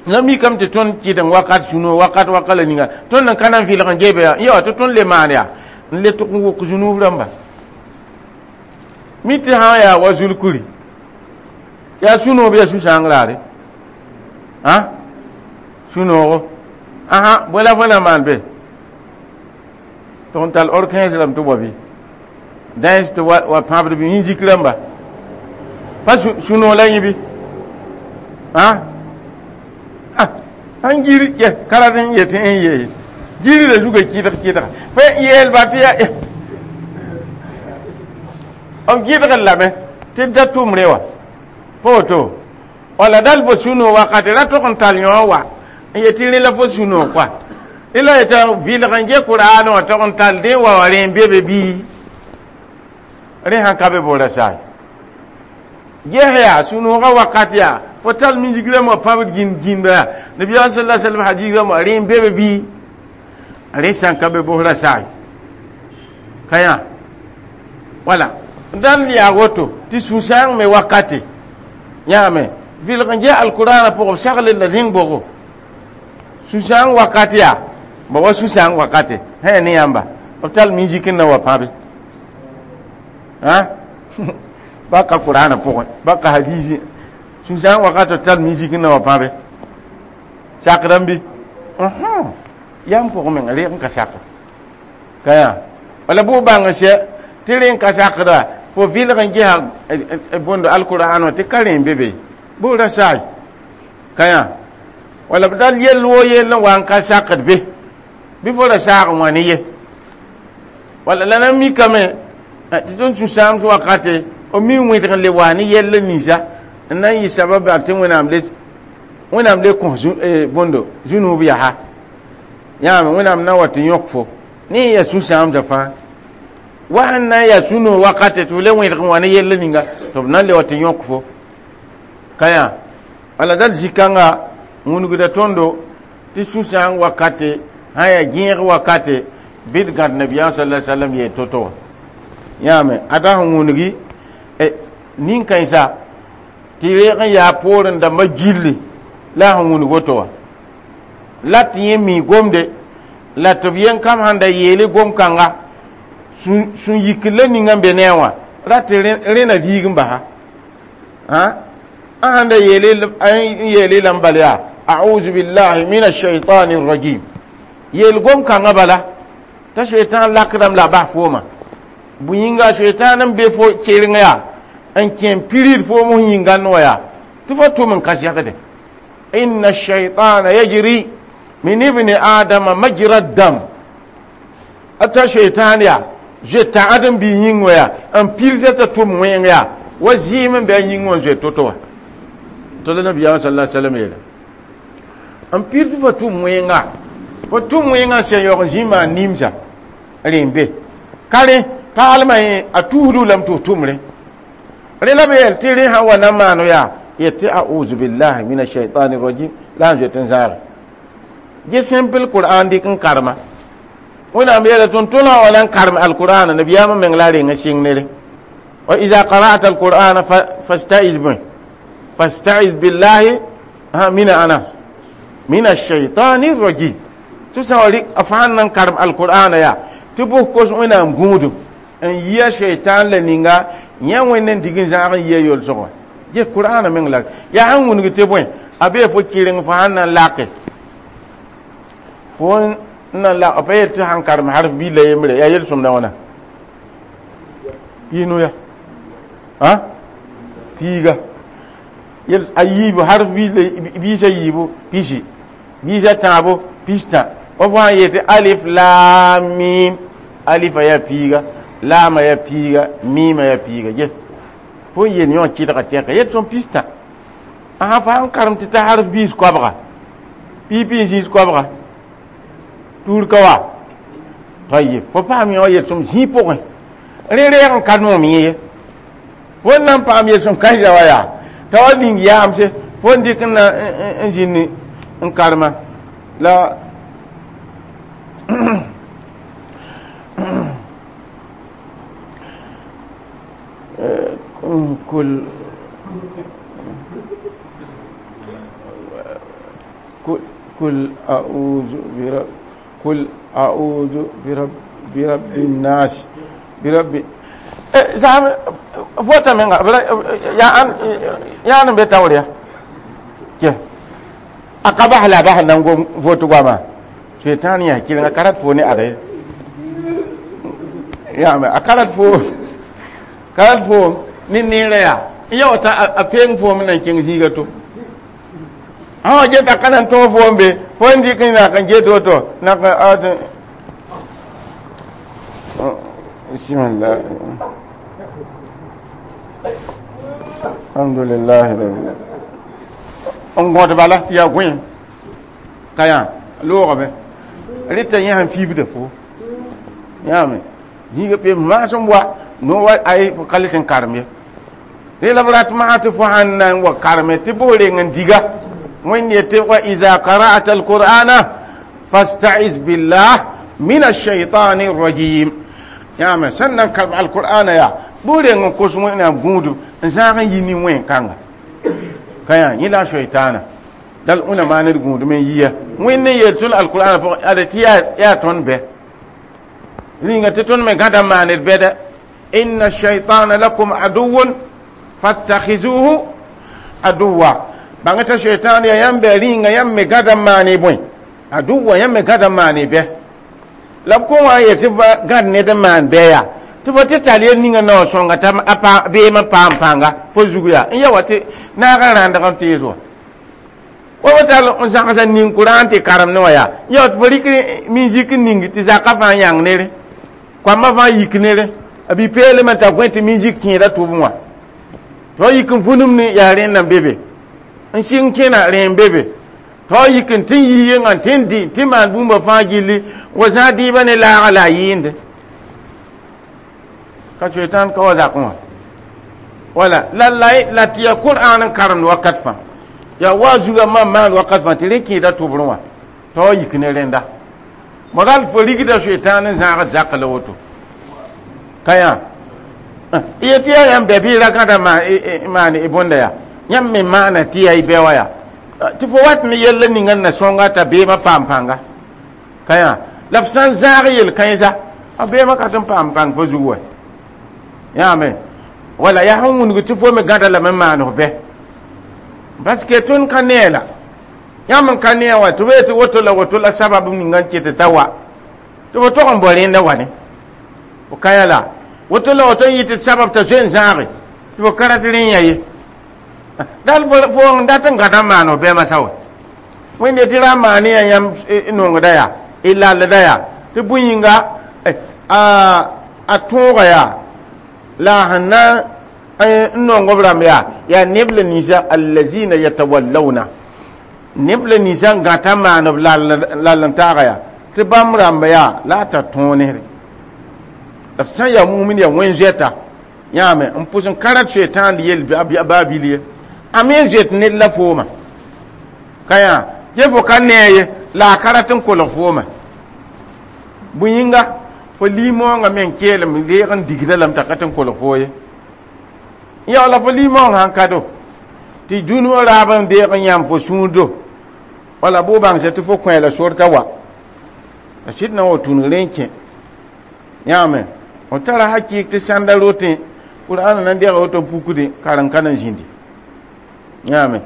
la mikame tɩ tõnd kɩdem wakat sũ-noog wakat waka la ninga tõnd n ka na n vɩlg n gebe yaa ya tɩ tõnd le maan yaa n le tʋg n wʋk zũnuub rãmba mi tɩ sã yaa wa zulkuri yaa sũ-noog bɩ yaa sũ-sãang raare ã sũ-noogo asa bõe la fo na maan be tɩ n tall orkẽes rãmb tɩ wa bɩ dãens tɩ wa pãbd bɩ yĩn zik rãmba pa sũ-noog la yẽ bɩ ã sãn gir yɛ karad n yet n yee girda zuga kɩdg kɩdga fo yeelba tɩ ya b gɩdgr lame tɩ d da tʋmre wã pa woto wala dal fo sũ-noog wakate ra tog n tall yõ wa n yet tɩ rẽ la fo sũ-noog kɔa rẽ la yeta vɩlg n ge qur'an wã tog n tall dẽ wa wa rẽ n be be bii rẽ sãn ka be boora saay ges yaa sũ-noogã wakat yaa fo tall misik rãmb wã pãbd gĩnd gĩnda yaa nabiyaam sala sallam hadis rãmb wã rẽ n be be bii rẽ sãn ka be bosra saay ka yã wala dal yaa woto tɩ sũ-sãang me wakate yãame vɩlg n ges alqur'ana pʋgẽ b sagl la rẽng bʋgo sũ-sãang wakat yaa ba wa sũ-sãang wakate sã ne yãmba b tall misik n na wa pãbe ba ka qur'ana pʋgẽ ba ka hadisi sũ-sãang wakat b tall misik n na wa pãbe sakdame bɩ yãmb pʋgẽ menga reeg n ka sakd ka yã wala bʋ bãng sɛ tɩ rẽ n ka sakda fo vɩlg n gesa bõndo alqur'an wã tɩ ka rẽ n be be bʋ ra saay ka yã wala b dal yell woo yell n wa n ka sakd be bɩ fo ra saag n wã ne ye wala la na mikame tɩ tõnd sũ-sãams wakate b mi wẽdg n le wa ne yell ninsa n na n yɩ sabab tɩ wẽnnaam le wẽnnaam le kõ bõndo zũnuub yaa yãame wẽnnaam na wa tɩ yõk fo ne yaa sũ-sãamdã fãa wa sẽn na n yaa sũ-noog wakate tɩ f le wẽdg n wa ne yell ninga tɩ b na n le wa tɩ yõk fo ka yã wala dal zĩ-kãnga wũnugda tõndo tɩ sũ-sãang wakate sã yaa gẽeg wakate bɩ d gãd nabiyaam sala sallam yeel to-to wã yãame ada sẽn wũngi nin-kãensa tɩ reeg n yaa poorẽ dãmbã gilli la sẽn wũnug woto wã la tɩ yẽ mi gomde la tɩ b yen kam sãn da yeele gom-kãnga sũ yikr la ninga n be ne a wã ra tɩ rẽ na viig n basa anda yele yele lambal ya a'udhu billahi minash shaitanir rajim yel gom kanga bala ta shaitan lakram la ba foma bu yinga shaitan be fo keringa ya an ken pirir fo mo yinga no ya ti fo tum kan yakde inna ash-shaytana yajri min ibni adama majra ad-dam ata shaitan ya je ta adam bi yingo ya an pirir ta tum wen ya wa zim be yingo je toto to la nabiya sallallahu alaihi wasallam yela an pirir fo tum wenga fo tum wenga se yo zima nimsa rembe kare palma a tuhudu lam to tumre rela be yel tiri ha wa mano ya yati a'udhu billahi minash shaitani rajim la je zar je simple qur'an dik karma wona me yela ton tona wala karma alquran nabiya ma meng la renga sing nere wa idha qara'ta alquran fasta'iz bi fasta'iz billahi ha mina ana minash shaitani rajim to sawari afan nan karma alquran ya tubu ko wona ngudu an yiya shaitan la ninga yã wẽnd n dig n zãag n yia yol-sʋgã ye qur'ana meng la yaa sẽn wũnug tɩ bõe a bee fo kɩreng fo sãn na n lake fo n na lak pa yel tɩ sãn karem harf bii la yembre yaa yel-sõmda wãna piinu ya a piiga yel a yiibu harf biisa yiibu pisi biisa tãabo pistã wa fo sãn yeel tɩ alif laam mim alifa yaa piiga laama ya piiga miima ya piiga yes fo yel yõ kɩdga tɛka yet sõm pista asa fa sãn karem tɩ ta harf biis koabga piipi n zĩis koabga tuur ka wa tayib fo paam yõ yel sõm zĩig pʋgẽ rẽ reeg n ka noom yẽ ye fo n na n paam yel sõm kãensã wa yaa t'a wa ning yaamse fo n dɩk n na n zĩnd n karema la كل كل كل أعوذ برب كل أعوذ برب برب الناس برب زعم فوتا من يا أن يا أن بتاوريا كي أقبح لا بح نعم فوتو غاما شيطان يا كيلنا كارات فوني أري يا ما أكارات فو karat fo ni neera yaa n ya wata a peng foom nan kẽng zĩiga to sã wa geta ka nan tõog foom be fo n dɩk n nak n get woto nak bismillah alhamdulillah n gõd bala tɩ yaa gõe ka yã loogame rɩta yẽ sẽn fiibda fo yãame zĩiga pem maasem wa no wa ay fo ka le tɩ n karem ye rẽ la b rat maa tɩ fo sãn na n wa kareme tɩ bʋ reng n diga wẽnd yetɩ wa iza qara'ata alqur'ana fasta'iz billah min alshaytani rajim yãame sẽn na n karem alqur'ana yaa bʋ reng n kos wẽnnaam gũudum n zãag n yi ne wẽn-kãnga ka yã yẽ la a shaitana dal wẽna maan d gũudum n yiya wẽnd n yeel tõnd alqur'ana pʋgẽ ada tɩ yaa tõnd bɛ rĩnga tɩ tõnd me gãda n maan d bɛda إن الشيطان لكم عدو فاتخذوه عدوا بانتا الشيطان يا يم بيرين يا يم غدا ماني بوين عدوا يم غدا ماني به لب كون يتبا غد ند مان بيا تبا تتالي نيغا نو سونغا تام apa be ma pam panga fo zuguya in ya wate na ga randa kan tezo wa wata on zãgsa ning Qur'an tɩ karem ne wã yaa ya tɩ fo rɩk min-zik ning tɩ zakã fãa yãng nere koamã fãa yik nere a bi peelmã t'a gõe tɩ min-zik kẽeda tʋbẽ wã tɩ fa yik n vũnum ne yaa rẽnd n be be n sɩng kẽna rẽ n be be tɩ fa yik n tɩ n yi yengã tɩ n dɩ tɩ maan bũmba fãa gilli wa zãag dɩɩbã ne laaga la a yɩɩnde ka shaitan ka wa zakẽ wã wala la la la tɩ yaa qur'an n karemd wakat fãa yaa wa zuga mam maan wakat fãa tɩ rẽ kẽeda tʋbrẽ wã tɩ wa yik ne rẽnda moral fo rigda shaitan n zãagd zak la woto ka yã yetɩ yaa yãmb bɛ bɩ ra gãda maan y bõnda yaa yãmb me maana tɩ yaa y bɛ wã yaa tɩ fo wat ne yella ninga n na sõnga t'a beemã paam pãnga ka yã la f sã n zãag yel-kãensa a beemã ka tɩ n paam pãng fo zug wa yãame wala yaa sẽn wũnug tɩ fo me gãda lame n maan f bɛ Parce que tõnd ka nee la yãmb n ka nee wã tɩ b tɩ woto la woto la sabab ninga n ket t'a wa tɩ b tog n bao rẽnda wa ne fo ka ya la woto la woto n yɩ tɩ sabab t'a zoe n zãage tɩ b ka rat rẽ yã ye dal fo n dat n gãda n maan f bɛma sa wa wẽnde tɩ ra n maan ya yãmb nongda yaa y lallda yaa tɩ bõe yĩnga a tõoga yaa la a sẽn na n nong b rãmb yaa yaa neb la ninsã allazina yatawallawna neb la ninsã n gãta maan b lall n taaga yaa tɩ bãmb rãmba yaa la a tar tõog nesre b sã n yaa mumin yaa wẽn zoɛta yãame n pʋs n ka rat soetãand yel baa bil ye a me n zoet ned la fooma ka yã ye fo ka nee ye la a ka rat n kolg fooma bõe yĩnga fo lim-moongã me n keelem deeg n digda lame t'a ka tɩ n kolg foo ye ya la fo lim-moong sãn ka do tɩ dũni wã raab n deeg n yãmb fo sũurdo wala bʋ bãngsa tɩ fo kõ la sor t'a wa a sɩd na wa tũnug rẽ n kẽ yãame f tara hakɩɩk tɩ sãnda rotẽ qur'ana na n dega woto pukdẽ karen ka na n zĩndi yãame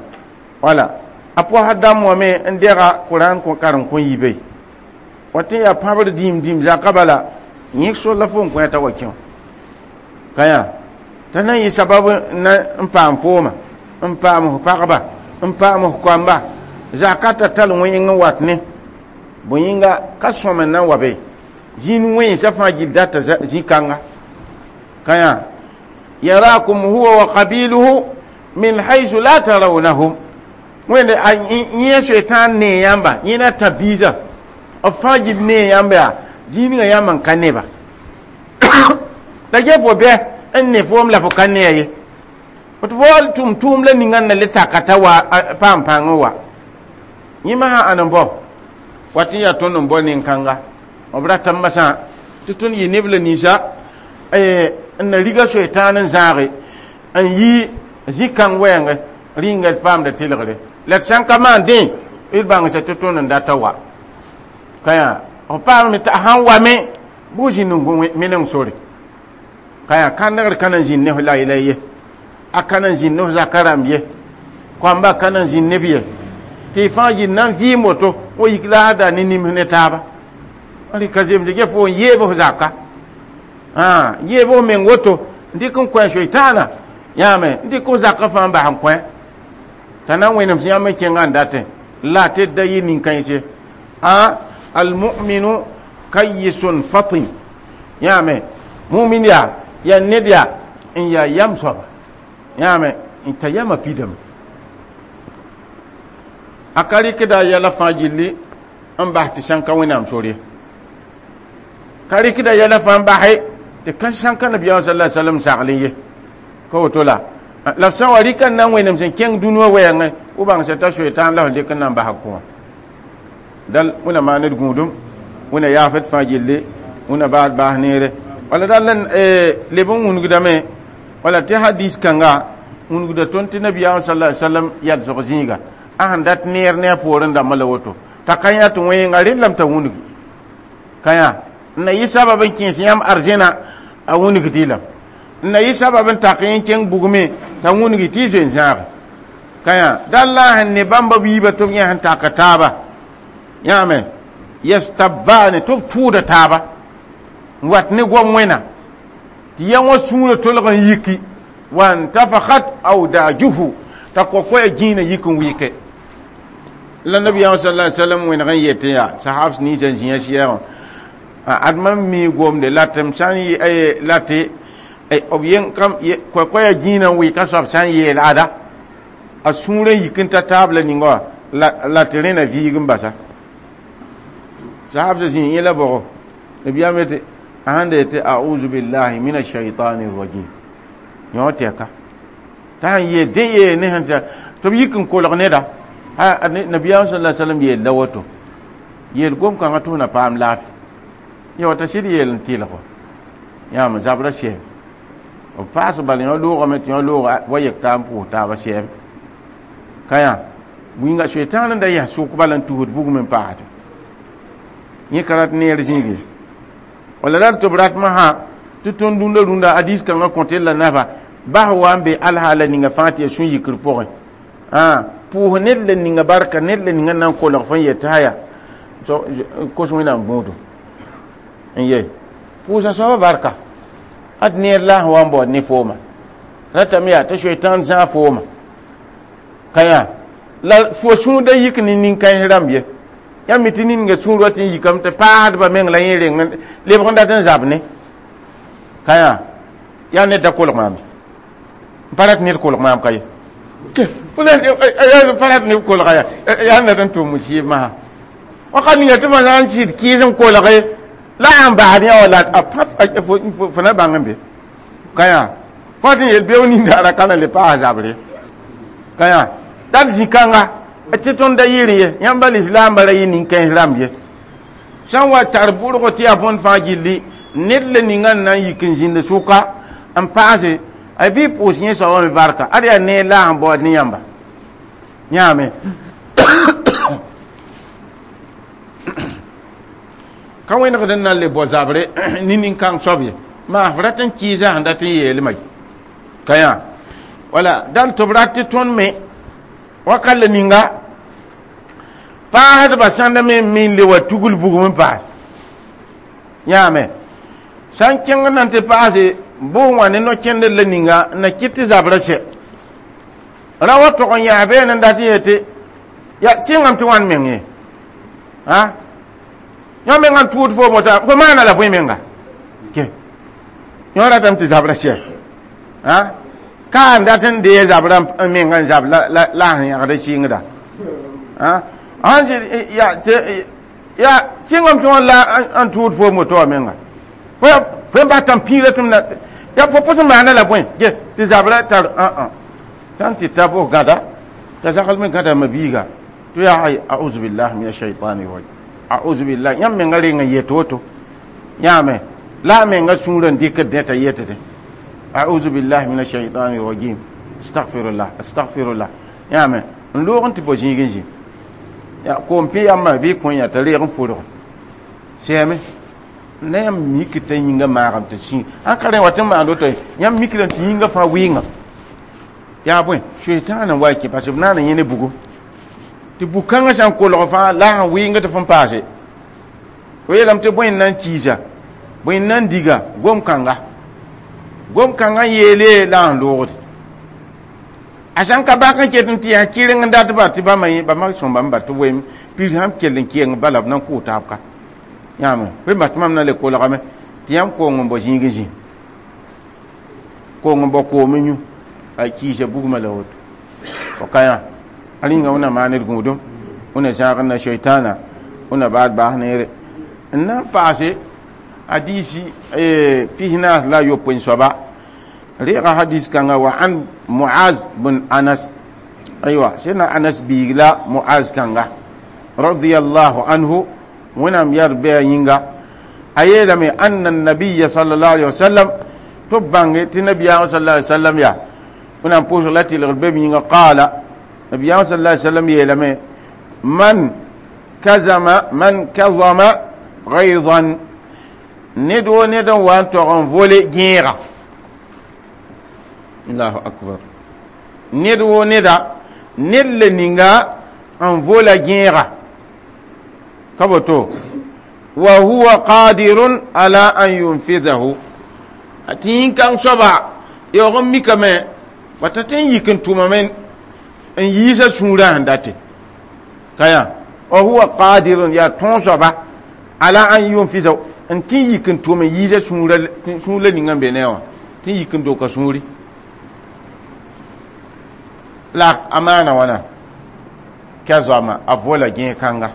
wala a pʋasa dãmb wã me n dega qur'an karen kõ yibe wa tɩ yaa pãbr dĩim dĩim zakã bala yẽk sor la fo n kõ t'a wa kẽ wã ka yã t'a na n yɩ sabab na n paam fooma n paam f pagba n paam f koamba zaka ta tall wẽng n wat ne bõe yĩnga ka sõm n na n wa be zĩn wẽnsã fãa gill data zĩ-kãnga ka yã yarakum huwa wa qabiluhu min haythu la tarawnahum wẽnde yẽ soetãan nee yãmba yẽ na tã biisã b fãa gill nee yãmba yaa zĩig ninga yãmb n ka neba la ge fo bɛ n ne foom la fo ka nee ye tɩ fo wal tʋm tʋʋm la ninga n na le taka t'a wa paam pãng n wa yẽma sã ãn n bao wat n yaa tõnd n bao nin-kãnga b rata masã tɩ tõnd yɩ neb la ninsã n na riga soetãan n zãage n yi zĩ-kãng wɛɛngẽ rĩnga d paamda tɩlgre la d sã n ka maan dẽ d bãngsa tɩ tõnd n data wa ka yã f paamame tɩ a sãn wame bʋ zĩnd n meneng sore ka yã kãndgr ka na n zĩnd ne f la yɛla ye a ka na n zĩnd ne f zaka rãmb ye koamba ka na n zĩnd neb ye tɩ y fãa yɩl na n vɩɩm woto wa yik laasda ne nims ne taaba rɩka zemse ge fo n yeeb f zaka yeeb f meng woto n dɩk n kõ soetãana yãame n dɩk f zakã fãa n bas n kõ t'a na n wẽnem sẽn yãmb n kẽngã n datẽ la tɩ d da yɩ nin-kãense a almuminu kayisun fatin yãame mumin yaa yaa ned yaa n yaa yam soaba yãame n ta yamã pidame a ka rɩkda yɛla fãa gilli n bas tɩ sãn ka wẽnnaam sor ye ka rɩkda yɛla fãa n base tɩ ka sãn ka nabiyaam sala sallam sagl ye ka woto la la f sã n wa rɩka n na n wẽnem sẽn kẽng dũni wã wɛɛngẽ f bãngsa t'a soetãan la f dɩk n na n basa kʋã dal wẽna maan d gũudum wẽna yaafd fãa gilli wẽna baad baas neere wala dal n leb n wũnugdame wala tɩ hadis kãnga wũnugda tõnd tɩ nabiyaam sala sallam yalsg zĩiga a sẽn dat neer ne a poorẽ dãmbã la woto t'a ka yã tɩ wẽenga rellame t'a wũnug ka yã n na yɩ sabab n kẽes yãmb arzẽna a wũnug tɩ lame n na yɩ sabab n tak yẽ kẽng bugme t'a wũnug tɩ y zoe n zãage ka yã dal la a sẽn ne bãmba biiba tɩ b yẽ sẽn taka taaba yãame yastabbaane tɩ b tʋʋda taaba n wat ne goam wẽna tɩ yã wã sũurã tolg n yiki wantafakat awdajuhu t'a kokoya gĩinã yik n wɩke la nabiyaam sala sallam wẽneg n yetẽ yaa sahabs ninsã n zĩa sɩɛɛgã ad mam mi gomde la tɩ m sã n la tɩ b yen kam kokoya gĩinã n wɩka soab sã n yeel ada a sũurã yik n ta taab la ninga wã la tɩ rẽna viig n basa sahabsã zĩ yẽ la bʋgo nabiyaam yetɩ a sãn da yetɩ auzu billahi min ashaitani rajim yõ tɛka t'a sãn yeel dẽ yeel ne sẽn tɩ b yik n kolg neda nabiyaam sala sallam yeel la woto yeel gom-kãngã tɩ f na paam laafɩ yã t'a sɩd yeel n tɩlgo yãam zabra sɛɛm b paas bal yõ loogame tɩ yõ loog wa yek taa n pʋʋs taaba sɛɛm ka yã wĩnga soetãan n da yɛs sʋk bala n tusd bugum n paasde yẽ ka rat neer zĩige wala rat tɩ b ratmã sã tɩ tõnd rũndã rũndã hadis kãngã kõt la nafa bas wa n be alhaala ninga fãa tɩ ya sũ-yikr pʋgẽ Ah pʋʋs ned la ninga barka ned la ninga nan kolg fõn yetɩ aya kos wẽnnaam gũudu n ye pʋʋsa soaba barka ad neer la sẽn wa n baood ne fooma ratame yaa tɩ soetãan zãag fooma ka yã la fo sũurda yik ne nin-kãens rãmb ye yãmb mi tɩ ninga sũur wa tɩ n yikame tɩ paasdba meng la yẽ reng lebg n dat n zab ne ka yã yaa ned da kolg maam n pa rat ned kolg maam ka ye pa rat ned kolga ya yaa ned n tʋm musiib masã wakat ninga tɩ ma na n sɩd kɩɩs n kolge la n basd yã wala a fo na bãng n be ka yã fo tɩ n yel beoog nindaara ka na le paas zabre ka yã dat zĩ-kãnga tɩ tõnd da yɩɩr ye yãmb lislaambã ra yɩ nin-kãens rãmb ye sã n wa tar bʋrgo tɩ yaa bõnd fãa gilli ned la ninga n na n yik n zĩnd sʋka n paase a bɩ pʋʋs yẽ soabã me barka ad yaa neer la sẽn baood ne yãmba yãame ka wẽnegd n na n le bao zabre ne nin-kãng soab ye maa f rat n kɩɩsa sẽn dat n yeelmã ye ka yã wala dal tɩ b rat tɩ tõnd me wakat la ninga paasdba sãnda me me n le wa tugl bugum n paas yãame sã n kẽng na n tɩ paase bʋʋg wã ne no-kẽndr la ninga n na kɩt tɩ zabrã sɛ ra wa tog n yãas been n dat n yetɩ ya sɩngame tɩ wãn meng ye a yõ mengã n tʋʋd foom wota fo maana la bõe menga ke yõ ratame tɩ zabrã sɛ a ka n dat n dee zabrã n menga n zab la la sẽn yãgd sɩngda a sãn ya ya sɩngame tɩ wã la n tʋʋd foom woto wã menga fo n bata n pĩira tɩ m na ya fo pʋs n maana la bõe ge tɩ zabrã tar ã sã n tɩ ta bʋs gãda t'a zagl me gãda mabiiga tɩ yaa ay auzu billah min ashaitani rajim auzu billah yãmb menga reng n yet woto yãame la a menga sũurã n dɩkd dẽ t'a yetde auzu billah min ashaitani rajim astagfirullah astagfirullah yãame n loog n tɩ bao zĩig n zĩ ya koom pẽ yãmbã bɩ kõ yã t'a reeg n fʋrg sɛɛme la yãmb mik t'a yĩnga maagame tɩ sĩ ãn ka rẽ wa tɩ n maand woto yãmb mikdame tɩ yĩnga fãa wɩɩngã yaa bõe soetãan n wa kẽ parce b naan n yẽ ne bugo tɩ bug-kãngã sã n kolg fãa la sẽn wɩɩng tɩ fõn paase fo yeelame tɩ bõe n na n kiisa bõe n na n diga gom-kãnga gom-kãngã n yeele la n loogde a sã n ka bak n ket n tɩ yaa kɩreng n datba tɩ bãmba bãmba sõmba n ba tɩ wem piis sãn kell n kɩeng bala b na n kʋʋ taab ka yãame fo bas tɩ mam na le kolgame tɩ yãmb koong n bao zĩig n zĩ koong n bao koom n yũ a kiisa bugmã la woto fo ka yã a rĩnga wẽnna maan d gũudum wẽnna zãag n na soetãana wẽnna baad baas neere n na n paase hadisi pis-naas la a yopoe soaba reega hadis kãnga wa an muaz bn anas aywa sẽdna anas biig la muaz kãnga radiallahu anhu wẽnnaam yar bɩ a yĩnga a yeelame anna nabiya sallallahu alaihi wasallam tɩ b bãnge tɩ nabiyaamã sallallahu alaihi wasallam yaa wẽnnaam pʋʋsg la tɩlgr be b yĩnga qaala nabiyaamã sallallahu alaihi wasallam yeelame man kazama man kazama gaydan ned wo ned n wa n tog n vole gẽega allahu akbar ned wo neda ned le ninga n vola gẽega ka boto wa huwa qadirun ala an yunfidahu tɩ yĩn-kãng soaba yaoog n mikame wata tɩ n yik n tʋmame n yiisa sũurã sẽn date ka yã wa huwa qadirun yaa tõog soaba ala an yunfidahu n tɩ n yik n tʋm n yiisa sũur la ninga n be ne wã tɩ n yik n doka sũuri la a maana wãna ka zoama a vola gẽeg-kãnga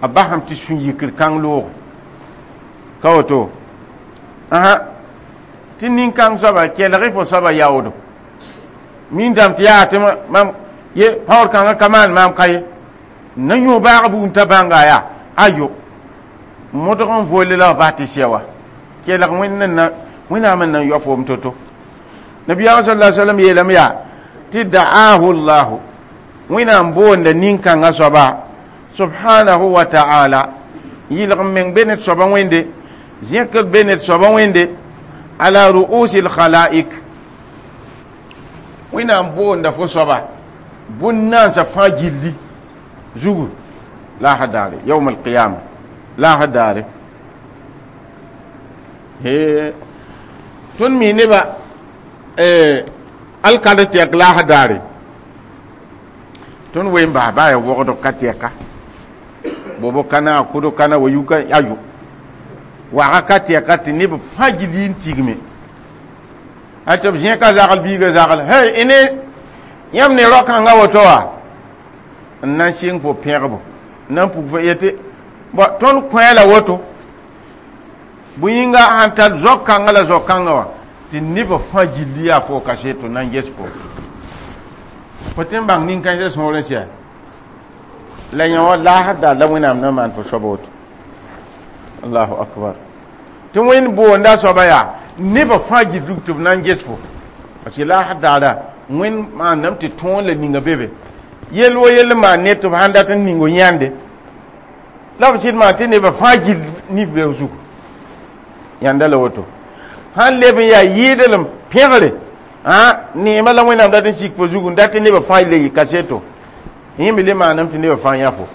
a basame tɩ sũ-yikr kãng looge ka woto ãhã tɩ nin-kãng soaba kelg fo soaba yaoodo min dãmb tɩ yaa tɩ mam ye paoor kãngã ka maan maam ka ye na yõ baag buud t'a bãnga yaa ayo modg n volle la b bas tɩ sɛ wa kelg wẽnd wẽnnaam n na n yao foom to-to nabiyaamã sal la sallam yeelame yaa tɩ da'ahu llahu wẽnnaam boonda nin-kãngã soaba subhanahu wa ta'ala yɩlg n meng be ned soaba wẽnde zẽkr be ned soaba wẽnde ala ru'usi lkhalaik wẽnnaam boonda fo soaba Bũn-nansã fãa gilli zugu laasã daare yawm alqiyama laasã daare he tõnd mi neba alkal tɛk laasã daare tõnd wen bas baa ya wogdg ka tɛka bobo kana kodo kana wa yuka ayo waga ka tɛka tɩ neb fãa gilli n tigme a tɩ b zẽ ka zagl biiga zagl hey ine yãmb ne rao-kãngã woto wa n na n sɩng fo pẽgbo n na n puk fo yetɩ bõ tõnd kõ la woto bõe yĩnga sãn tar zao-kãngã la zao-kãngã wã tɩ nebã fãa gilli yaa fo kaseto na n ges fo fo tɩ n bãng nin-kãensã sõor n sɛ la yã wã laasd daar la wẽnnaam na maan fo soaba woto allahu akbar tɩ wẽnd boonda soaba yaa nebã fãa gil rug tɩ b na n ges fo parce que laasd daara wẽnd maandame tɩ tõog la ninga be be yell wo yell n maan ne tɩ b sãn dat n ning yãnde la b sɩd maan tɩ nebã fãa gil nib be zugu yãnda la woto sãn leb n yaa yɩɩdlem pẽgre neema la wẽnnaam dat n sik fo zugu n dat tɩ nebã fãa le yɩ kaseto yẽ me le maaname tɩ nebã fãa yã fo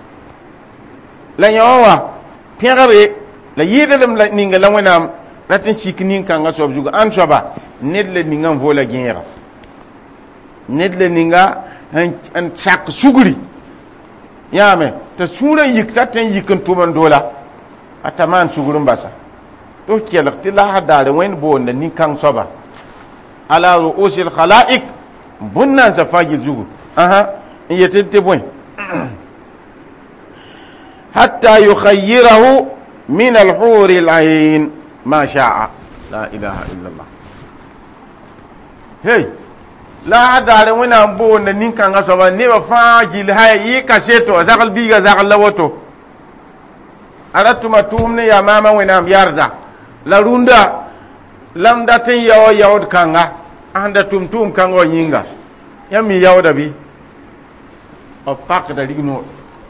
la yã wã wa pẽgre la yɩɩdlem la ninga la wẽnnaam rat n sik nin-kãngã soab zugu ãn soaba ned la ninga n voola gẽega ned la ninga n sak sugri yãame t'a sũurã yik t'a tõe n yik n tʋm n doola a ta maan sugr n basa tɩ f kelg tɩ laasã daare wẽnd boonda nin-kãng soaba ala ru'usi lkhalaik bũn-nansã fãa gil zugu ãhã n yetɩ tɩ bõe hatta yukhayyirahu min alhuri alain ma sha'a la ilaha illa allah hey la daare wẽnnaam boonda nin-kãngã soaba nebã fãa gil haya yɩ kaseto a zagl biiga zagl la woto a ra tʋma tʋʋm ne yaa maama wẽnnaam yarda la rũndã la m dat n yao yaood kãnga sẽn da tʋm tʋʋm kãngã wã yĩnga yãmb mi yaooda bɩ b pakda rignoor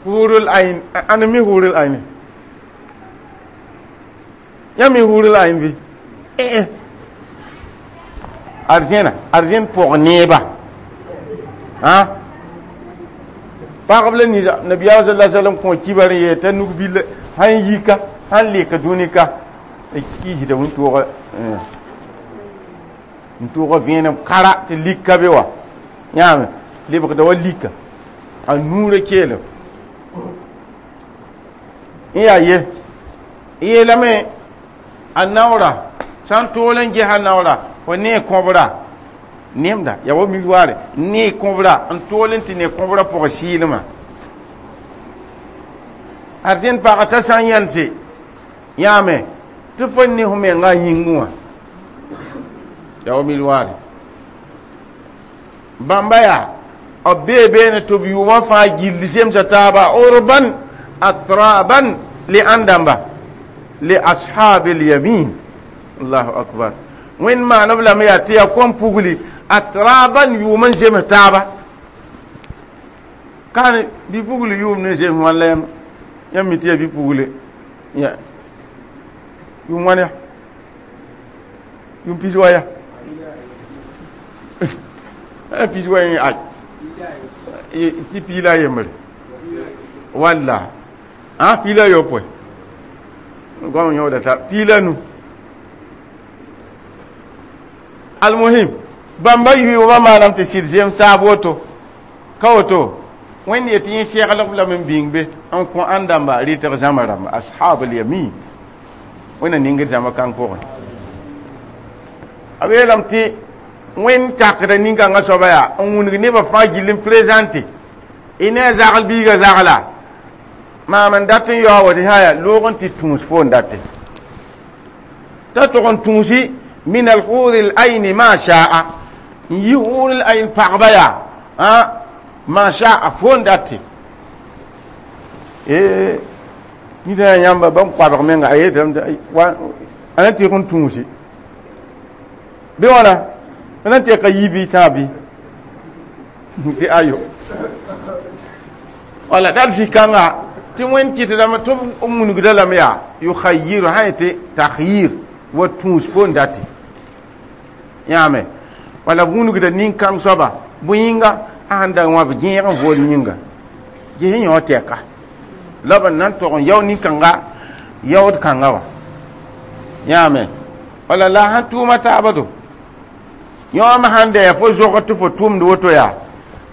hurul ain ãn mi hurul ain yãmb mi hurul ain bɩ eh arzẽna arzẽn pʋg neeba ã pagb la nida nabiyaam sala sallam kõ kibar n yee t'a nug billa sãn yika sãn leka dũni ka kiisda wĩntoogã n tʋʋga vẽenem kara tɩ lik ka be wa yãame lebgda wa lika a nuurã keelem n yaa ye yeelame a naoora sã n tool n gesa naoora fo ne kõbra nemda yaa wa miroire ne kõbra n tool n tɩ ne kõbra pʋgã sɩɩlmã arzẽn pagã t'a sã n yãnse yãame tɩ fo ne fo menga yĩngẽ wã yaa wa miroire bãmba yaa b bee beene tɩ b yʋʋmã fãa gilli zemsa taaba urban atraban li ãn dãmba li ashabi lyamin allahu akbar wẽnd maan b lame yaa tɩ yaa kom pugli atraban yʋʋm n zems taaba kaan bɩ pugli yʋʋm ne zems wãn la yãmb yãmb mi tɩ yaa bɩ pugle ya yʋʋm wãn ya yʋʋm pis wa ya pis wa yẽ ay tɩ piila a yembre walla a piila yopoe goam yõoda ta piila nu almuhim bãmba yʋʋmã maanam tɩ sɩd zem taab woto ka woto wẽnd yetɩ yẽ seglg lame n bĩng be n kõ ãn dãmba rɩtg zãma rãmba ashab alyamin wẽnna ningd zãma kãng pʋgẽ b yeelame tɩ wẽnd takda nin-kãngã soaba yaa n wũnug nebã fãa gill n présente y ne a zagl biiga zagla maam n dat n yaoog tɩ haya loog n tɩ tũus fo n date t'a tog n tũusi min alhuri l ma shaa n yi hur l ain pagba yaa ma shaa fo n date nida yãmba bãmb koabg menga a yeetame a na tɩg n tũusi bɩ wãna a na tɩ ka yi bɩ tãab bɩ tɩ ayo wala dal zĩ-kãnga tɩ wẽnd kɩtdame tɩ b wũnugda lame yaa yukhayiru sã yetɩ takhyir wa tũus fo n date yãame wala b wũnugda nin-kãng soaba bõe yĩnga A sẽn da wãb gẽeg n vool yĩnga ges yõ tɛka la b na n tog n yao nin-kãnga yaood kãnga wã yãame wala la sãn tʋʋma taaba do yõom sãn da yaa fo zogd tɩ fo tʋmd woto yaa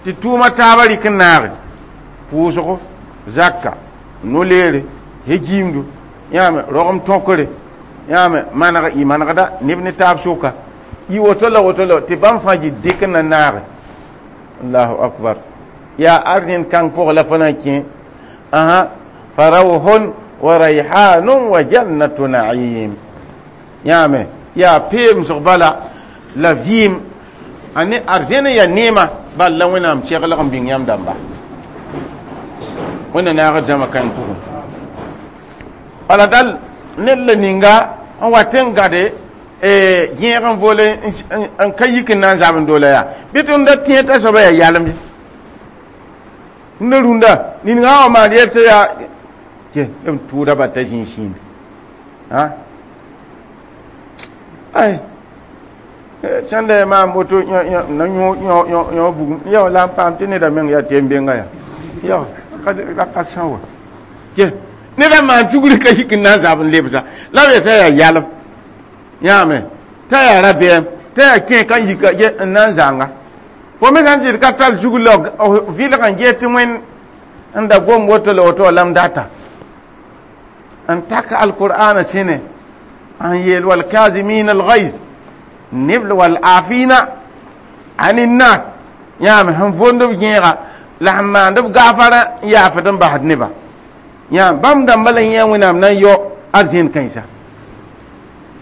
tɩ tʋʋma taaba rɩk n naage pʋʋsgo zaka no-leere hejiimdu yãame rogem tõkre yãame maneg y manegda neb ne taab sʋka y woto la woto la tɩ bãmb fãa yɩ dɩk n na naage allahu akbar yaa arzẽn kãng pʋgẽ la fo na n kẽ aha farawhun wa rayhanun wa jannatu na'im yãame yaa peemsg bala la vɩɩm a ne arzẽn n yaa neema bal la wẽnnaam seglg n bĩng yãmb dãmba wẽnna naagd zãma kãng pʋgẽ bala dal ned la ninga n wat n gade gẽeg n voole n ka yik n na n zab n doola yaa bɩ tɩ da tẽ t'a soaba yaa yalem rũndã rũndã ninga wã maan yel tɩ yaa ke b tʋʋda ba t'a zĩig sĩinde ay sẽn da maam woto na yõ bugum yao la n paam tɩ neda meng yaa tɩ benga yaa yao ka ka sã wa ke neda maan tugri ka yik n na n zab n lebsa la b yetã yaa yalem yãame t'a yaa rabeem t'a yaa kẽ kan yika n na n zãnga fo me sãn sɩd ka tar zug la vɩlg n ges tɩ wẽn n da gom woto la woto lam data n tak alqur'ana sẽne n yeel walkazimin alghayz neb wal afina ani nas yãame sẽn vond b gẽega la sẽn maand b gaafara n yaafd n basd neba yãam bãmb dãmba la yẽ wẽnnaam na n yao arzẽn kãensa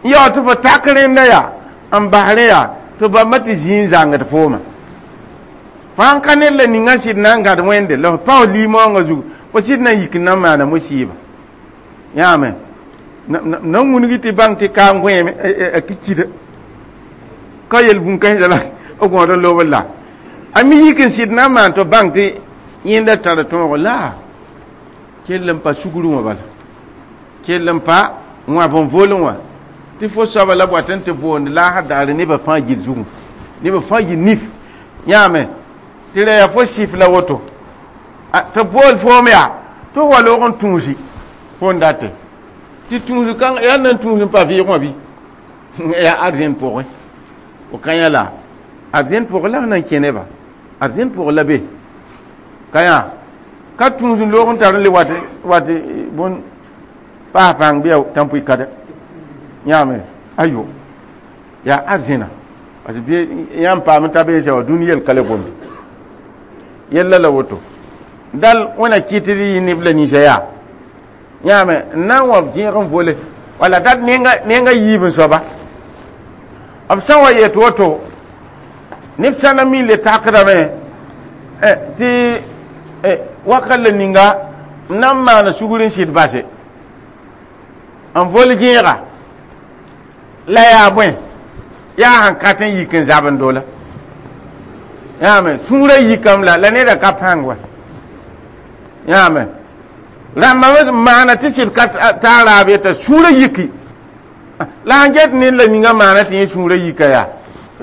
n yao tɩ fo tak rẽnda yaa n bas rẽ yaa tɩ bãmba tɩ zĩig n zãngd fooma fãa ka ned la ninga sɩd na n gãd wẽnde la f paoos limaoongã zugu fo sɩd na n yik n na n maana musiiba yãame na n wũngi tɩ bãng tɩ kaam gõeeme a kikida ka yel bũn-kãensã la b gõod n loobd la a mi yik n sɩd na n maan tɩ bãng tɩ yẽnda tara tõogo la kell n pa sugru wã bala kell n pa wãb n volẽ wã tɩ fo soaba la b wat n tɩ boond laasã daare nebã fãa gil zugu nebã fãa yɩ nif yãame tɩ ra yaa fo sɩf la woto tɩ bool foom yaa tɩ wa loog n tũusi fo n date tɩ tũus kãng yaa nan tũus n pa vɩɩg wã bɩ yaa arzẽn pʋgẽ o ka yã la arzẽn pʋgẽ la f na n kẽ neba arzẽn pʋgẽ la be ka yã ka tũus n loog n tar n le wat wat bõn paas pãng bɩ ya tãn-pʋɩ kada yãame ayo yaa arzẽna parce que yãmb paam t'a beesa wa dũni yel ka le gomde yella la woto dal wẽna kɩt d yɩ neb la ninsã yaa yãame n na n wa zẽeg n vole wala dat nenga yiib n soaba b sã n wa yet woto neb sã na mi le takdame tɩ wakat la ninga n na n maana sugr n sɩd base n vol gẽega la yaa bõe yaa sẽn ka tɩ n yik n zab n doola yãame sũurã yikame la la neda ka pãng wa yãame rãmba maana tɩ sɩd ka taa raab yeta sũurã yiki la n get ned la ninga maana tɩ yẽ sũurã yika yaa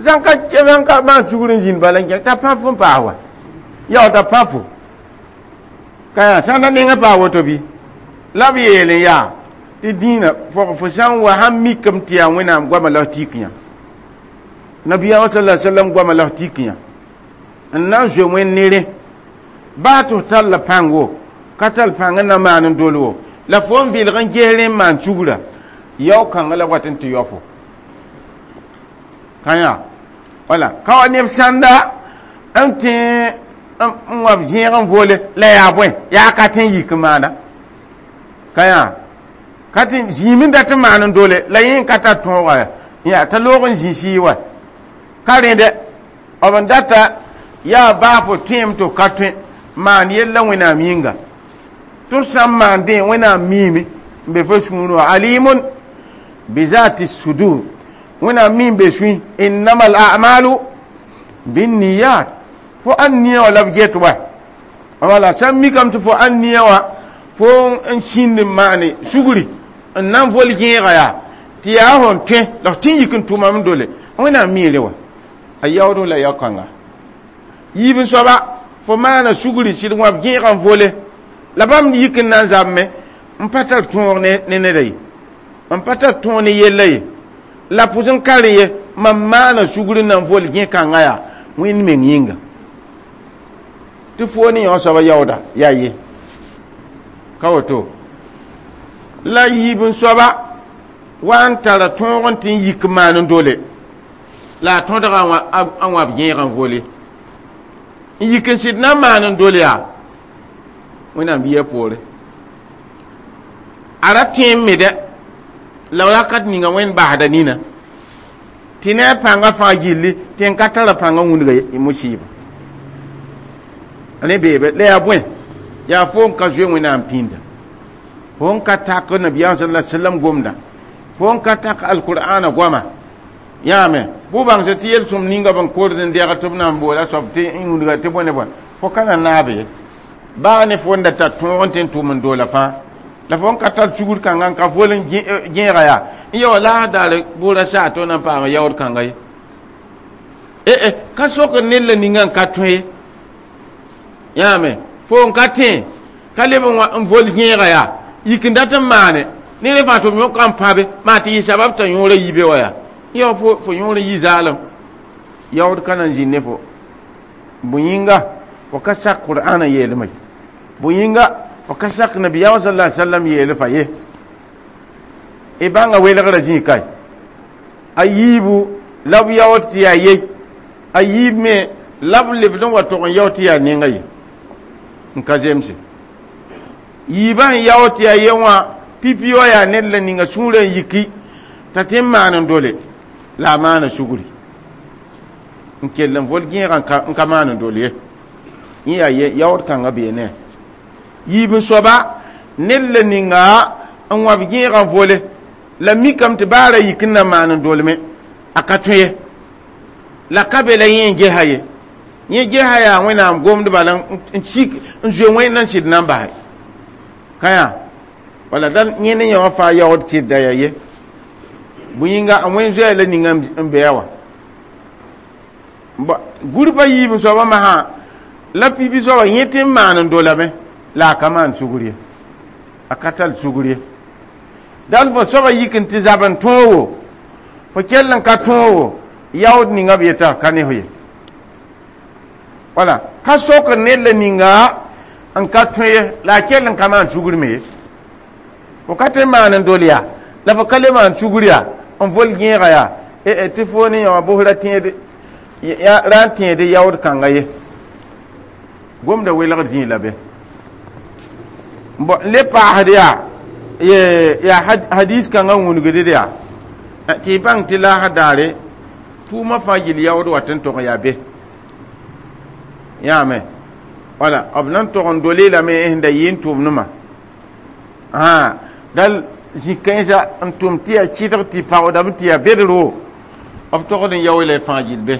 sãn ka sãn ka maan sugr n zĩnd bala n kẽ t'a pã fo n paas wa yao t'a pã fo ka yaa sãn da nengã paa woto bɩ la b yeel n yaa tɩ dĩinã fo sã n wa sãn mikame tɩ yaa wẽnnaam goamã la f tik yã nabiyaamã sala sallam goamã la f tik yã n na n zoe wẽnd nere baa tɩ f tall la pãngo ka tall pãng n na maan n dol wo la fo n vɩlg n ges rẽ n maan sugra yao kãngã la wat n tɩ yao fo ka yã wala ka wa neb sãnda n tẽ n wa zẽeg n voole la yaa bõe yaa ka tẽ n yik n maana ka yã ka tɩ zĩim n dat n maan n dole la yẽ ka tar tõoga ya t'a loog n zĩ sɩɩ wa ka rẽdɛ b n data yaa baa fo tõem tɩ f ka tõe maan yella wẽnnaam yĩnga tɩ f sã n maan dẽ wẽnnaam miime n be fo sũurẽ wã alimun bizati sudur wẽnnaam mi n be sũy innama al a'malu binniyat fo an nia wã la b get wa wala sã n mikame tɩ fo an nia wã fo n sĩnd n maane sugri n na n vol gẽega yaa tɩ yaa fõn tõe la f tɩ n yik n tʋmame dole wẽnnaam miire wa a yaood la yao kãnga Yiib n soaba fo maana sugri sɩd wãb gẽegã n vole la bãmb yik n na n zabme n pa tar tõog ne neda ye, n pa tar tõog ne yella ye, la pʋs n ka rẽ ye. Mam maana sugr n na n vol gẽ-kãngã yaa Wẽnd meng yĩnga tɩ fo ne yõ soaba yaooda yaa ye ka woto. La yiib n soaba wa n tara tõog n tɩ n yik n maan n dole la a tõdga a wãb gẽegã n vole n yik n sɩd na n maan n dole yaa Wẽnnaam biya poore a ra tõe n me dɛ la wakat ninga Wẽnd basda nina tɩ ne a pãngã fãa gilli tɩ n ka tara pãngã wũnga musɩɩba rẽ beebe. La yaa bõe? Yaa fo n ka zoe Wẽnnaam pĩnda, fo n ka tak nabiyaam sala sallam gomda, fo n ka tak alqur'ana goama yãame bʋ bãngse tɩ yel-sõm ninga b n kord n dɛg tɩ b na n boola soab tɩ n wũnga tɩ bõe ne bõe fo ka na naabe ye baa ne fo n da tar tõog n tɩ n tʋm n doola fãa la fo n ka tar sugr kãngã n ka vol n gẽega yaa n ya wa la daare bʋʋra saa tɩ na n paama yaood kãnga ye e ka sok ned la ninga n ka tõe ye yãame fo n ka tẽ ka leb n vol gẽega yaa yik n dat n maane ne rẽ fãa tɩ b yõka n pãbe maa tɩ yɩ sabab t'a yõorã yibe wa yaa ya fo fo yõor yi zaalem yaood ka na n zĩnd ne fo bõ yĩnga fo ka sak qur'ana yeelmã ye, bõ yĩnga fo ka sak nabiyaam sala sallam yeel fa ye. Y bãnga welgrã zĩig kae a yiibu la b yaood tɩ yaa ye, a yiib me la b lebd n wa tog n yao tɩ yaa nenga ye n ka zemse yiibã n yao tɩ yaa ye wã pipi wã yaa ned la ninga sũurã n yiki t'a tɩ n maan n dole la a maana sugri n kell n vol gẽegã n ka maan n dol ye. Yẽ yaa ye yaood kãngã bee ne yiib n soaba ned la ninga n wãb gẽegã vole la mikame tɩ baara yik n na maan n dolme a ka tõe ye la ka be la yẽ n gesa ye. Yẽ gesa yaa Wẽnnaam gomd bala n sik n zoe Wẽnd n sɩd na n base ka yaa wala dal yẽ ne yã wã fãa yaood sɩdda yaa ye bõe yĩnga a Wẽnd zoɛɛ la ninga n bɩa wã gurba yiib n soabã masã la pipi soaba yẽ tɩ n maan n dolame la a ka maan sugr ye, a ka tar sugr ye. Dal fo soaba yik n tɩ zab n tõogo fo kell n ka tõogo yaood ninga b yeta ka ne fo ye wala ka sok ned la ninga n ka tõe ye la a kell n ka maan sugr me ye. Fo ka tɩ maan n dol yaa la fo ka le maan sugr yaa n vol gẽega yaa tɩ fo ne yã wã bʋsra tẽede ra n tẽede yaood kãnga ye gomda welgd zĩig la be bon le paasd yaa yaa hadis kãngã wũnigd yaa tɩ y bãng tɩ laasã daare tʋʋmã fãa yɩl yaood wat n tog yaa be yãame wala b na n tog n dole lame sẽn da yɩ n tʋʋmdmã dal zĩ-kãensã n tʋm tɩ yaa kɩdg tɩ paoodame tɩ yaa bedro b togd n yao la y fãa gill be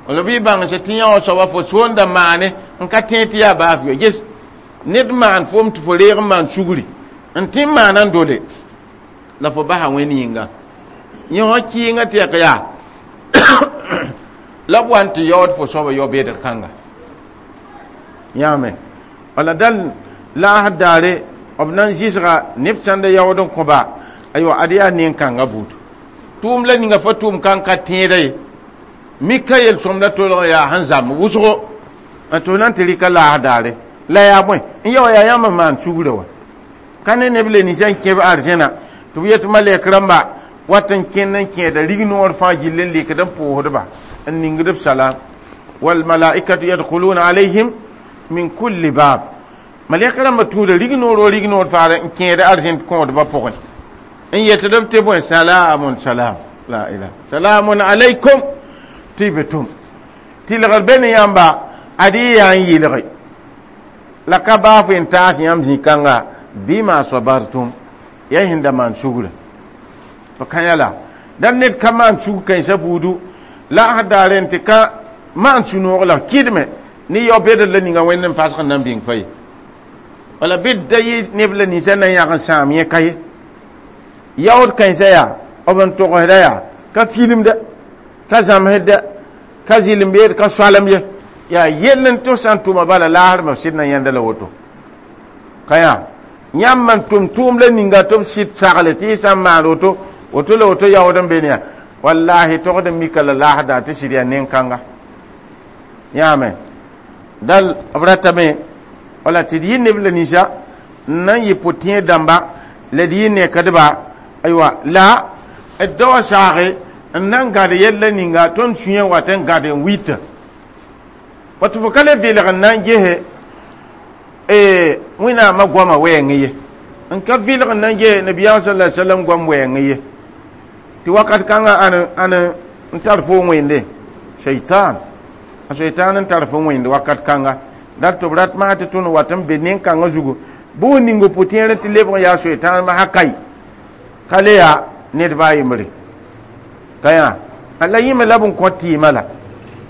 wala bɩ bãngse tɩ yã wã soaba fo soonda maane n ka tẽ tɩ yaa baaf yo ges ned maan fom tɩ fo reeg n maan sugri n tɩ n maana n dole la fo basa Wẽnd yĩnga yẽ wã kɩɩngã tɩ yak yaa la b wa n tɩ yaood fo soaba yao bedr kãnga yãame wala dal laasd daare b na n zɩsga neb sãn da yaood n kõba aywa ad yaa nen-kãngã buud tʋʋm la ninga fo tʋʋm kãn ka tẽeda ye mika yel-sõmda tolg yaa sẽn zãmb wʋsgo n tɩ f na n tɩ rɩka laas daare la yaa bõe n ya wa yaa yãmb n maan sugrã wa ka ne neb le ninsã n kẽb arzẽna tɩ b yet malɛk rãmba wat n kẽnd n kẽeda rignoor fãa gill n lekd n pʋʋsdba n ningd b salam walmalaikatu yadkhuluna alayhim min kulli bab malɛk rãmba tũuda rignoor wa rignoor faara n kẽeda arzẽn kõodbã pʋgẽ n yetd b tɩ bõe salamun salam la ilah salamun alaykum tɩ b tʋm tɩlgr be ne yãmba ad y yaa n yɩlge la ka baaf n taas yãmb zĩ-kãnga bɩma sabartum ya sẽn da maan sugrã fo kã yala dal ned ka maan sug kãensã buudu la a daare n tɩ ka maan sũ-noog la kɩdme ne yao bedr la ninga Wẽnd n pasg n na n bĩng fa ye wala bɩ da yɩ neb la ninsã na n yãg n sãam yẽ ka ye yaood kãensã yaa b n togsda yaa ka filmda ka zãmsda ka zɩlem beed ka soalem ye Yaa yell n tɩ sã n tʋma bala laasrmã sɩd na yãnda la woto. Ka yaa yãmb n tʋm tʋʋm la ninga tɩ b sɩd sagle tɩ y sã n maan woto woto la woto yaood n be ne yaa wallahi togd n mika la laasda tɩ sɩd yaa nen-kãnga. Yãame dal b ratame wala tɩ d yɩ neb la ninsã n na n yɩ pʋ-tẽed dãmba la d yɩ nekdba aywa la d da wa saage n na n gãd yɛlla ninga tõnd sũyã wat n gãd n wita wa tɩ fo ka le vɩlg n na n gese wẽnnaamã goamã wɛɛngẽ ye n ka vɩlg n na n ges nabiyaam sala alai sallam goam wɛɛngẽ ye tɩ wakat kãngã ãn ãn n tar fo wẽnde shaitan a shaitan n tar fo wẽnde wakat kãnga dat tɩ b rat maa tɩ tõnd wat n be nen-kãngã zugu bʋ ning pʋ-tẽer tɩ lebg n yaa shaitan ma kai ka le yaa ned baa yembre ka yaa la yĩme la b n kõ tɩɩmã la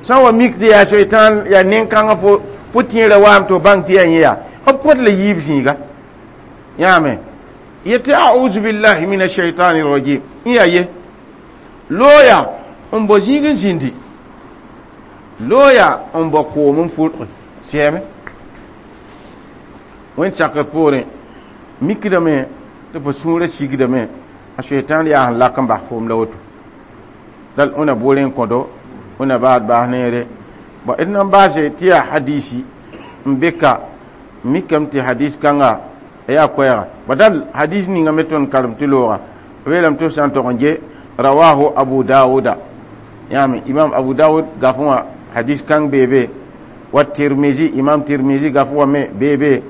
sã n wa mik tɩ yaa shaitan yaa nen-kãngã fo pʋ-tẽerã waam tɩ f bãng tɩ yaa yẽ yaa b kõt la yiib zĩiga yãame yetɩ auzu billahi min ashaitani rajim n yaa ye looya n bao zĩig n zĩndi looya n bao koom n fʋrge sɛɛme wẽnd sakr poorẽ mikdame tɩ fo sũurã sigdame a shaitan yaa sẽn lak n bas foom la woto dal wẽna boorẽ n kõdo wẽna baad baas neere bõ d nan baase tɩ yaa hadisi n be ka mikame tɩ hadis kãnga yaa koɛɛga ba dal hadis ninga me tõnd karem tɩ looga b yeelame tɩ f sã n tog n ge rawahu abu dawuda yãame imam abu dawud gafẽ wã hadis kãng beebe wa tirmizi imam tirmizi gafẽ wã me beebe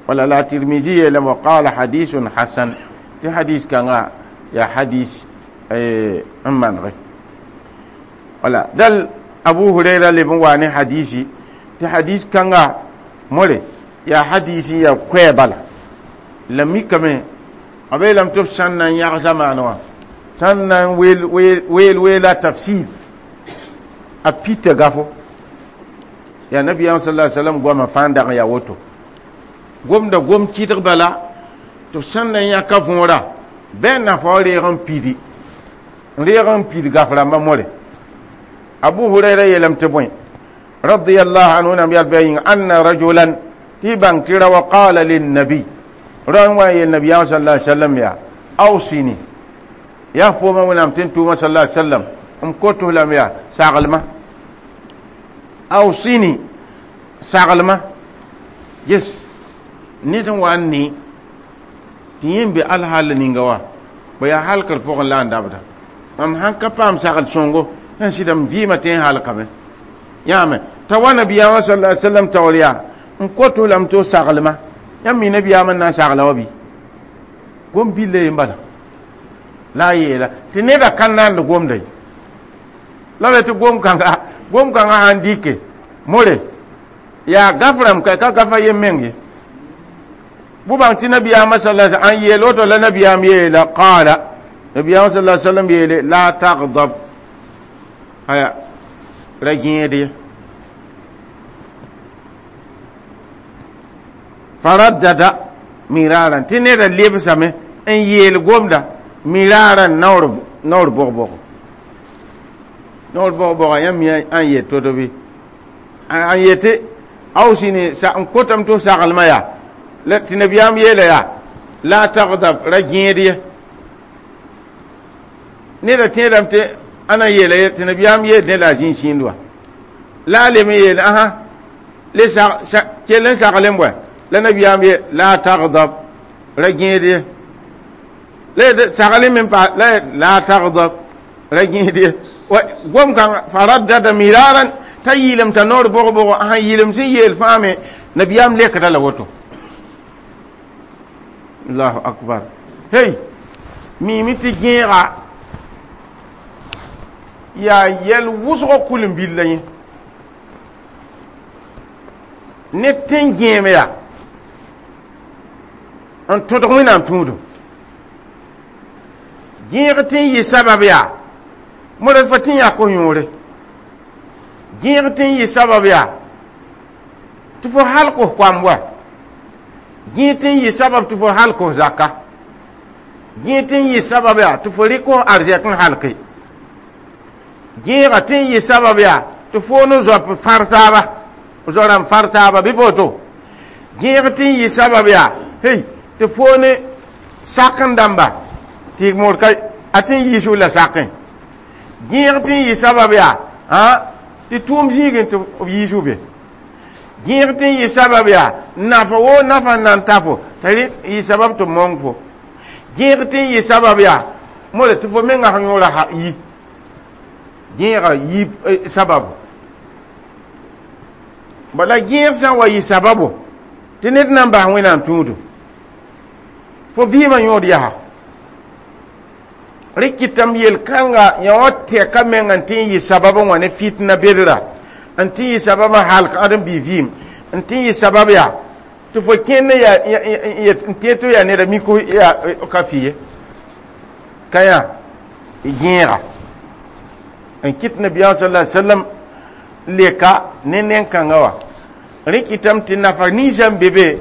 wala la tirmizi yeelame wa qala hadisun hasan tɩ hadis kãnga yaa hadis n manege wala dal abu huraira leb n wa ne hadisi tɩ hadis kãnga more yaa hadisi ya koɛɛ bala la mikame b yeelame tɩ b sãn na n yãg zamaane wã sãn na n weel weela tafsir a pita gafo yaa nabiyaam sala sallam goamã fãa n dag n yaa woto gomda gom kɩdg bala tɩ b sãn na n yãka võora bɩ n nafa wa reeg n pidi n reeg n pid gaf rãmbã more abu huraira yeelame tɩ bõe radiyallahu anhu nam yal bɩ a yĩnga anna rajulan tɩ bãng tɩ ra wa qala linnabi ra n wa n yeel nabiyaam sala alai sallam yaa awsini yaa fooma wẽnnaam tɩ n tʋʋma sala alai sallam m kotos lame yaa saglma awsini saglma yes ned n wa n ne tɩ yẽ n be alhal ninga wa ba yaa halkr pʋgẽ la n dabda mam sãn ka paam sagl sõngo n sɩda m vɩɩmã tɩ n halkame yãame t'a wa nabiyaamã sala alai sallam taoor yaa n kotos lame tɩ saglma yãmb mi nabiyaam n na n sagla wa bɩ gom billa ye n bala la a yeela tɩ neda ka naand gomda ye la be tɩ gom kãnga gom kãngã sãn dɩke more yaa gaf rãmb ka ka gafa yem meng ye bʋ bãng tɩ nabiyaamã sala n yeel woto la nabiyaam yeela qaala nabiyaamã sala sallam yeele la tagdab aya ra gẽed ye faraddada miraran tɩ neda lebsame n yeel gomda miraran naoor naoor bog-bog naoor bog-bogã yãmb mi ãn yet to-to bɩ an yete awsini n kotame tɩ f saglmã yaa tɩ nabiyaam yeela yaa la tagdab ra gẽed ye neda tẽedame tɩ ãna yeela ye tɩ nabiyaam yeel ne la a zĩig sĩnd wa la a lem n yeel ãsã le kell n saglem bõe la nabiyaam ye la tagdab ra gẽed ye la saglem n pa la la tagdab ra gẽed ye gom kãng faraddada miraran t'a yɩɩlem t'a noor bog-bogo sãn yɩɩlem sẽn yeel fãa me nabiyaam lekda la woto allahu akbar hey miime tɩ gẽega yaa yɛl wʋsgo kul-n-billa yẽ ne tẽn gẽem yaa n tõdg wẽnnaam tũudum gẽeg tɩ n yɩ sabab yaa modr fa tɩ n yaa ko-yõore gẽeg tɩ n yɩ sabab yaa tɩ fo halk f koamb wa gẽeg tɩ n yɩ sabab tɩ fo halk f zaka gẽeg tɩ n yɩ sabab yaa tɩ fo rɩk f arzɛk n halke gẽega tɩ n yɩ sabab yaa tɩ fo ne zoap fãr taaba Zoram far taaba bɩ boto gẽeg tɩ n yɩ sabab yaa hey tɩ fo ne sak n dãmba tɩ moor ka a tɩ n yiis la sakẽ gẽeg tɩ n yɩ sabab yaa ã tɩ tʋʋm zĩigẽ tɩ b yiis be gẽeg tɩ n yɩ sabab yaa nafa wo nafa n na n ta fo t'a yɩ sabab tɩ mong fo gẽeg tɩ n yɩ sabab yaa mora tɩ fo menga sẽn yõora yi gẽega yi sababu bala gẽeg sã n wa yɩ sababu tɩ ned na n bas wẽnnaam tũudu fo vɩɩmã yõod yaa rɩk kɩtame yel-kãnga yã wã tɛka meng n tɩ n yɩ sabab n wa ne fitna bedra n tɩ n yɩ sabab n halk ãdem-bi vɩɩm n tɩ n yɩ sabab yaa tɩ fo kẽnd n tẽ tɩ yaa neda mik yaa ka fɩ ye ka yã gẽega n kɩt nabiyaam sallallahu alaihi wasallam leka ne nen-kãngã wã rẽ kɩtame tɩ nafa ninsã n be be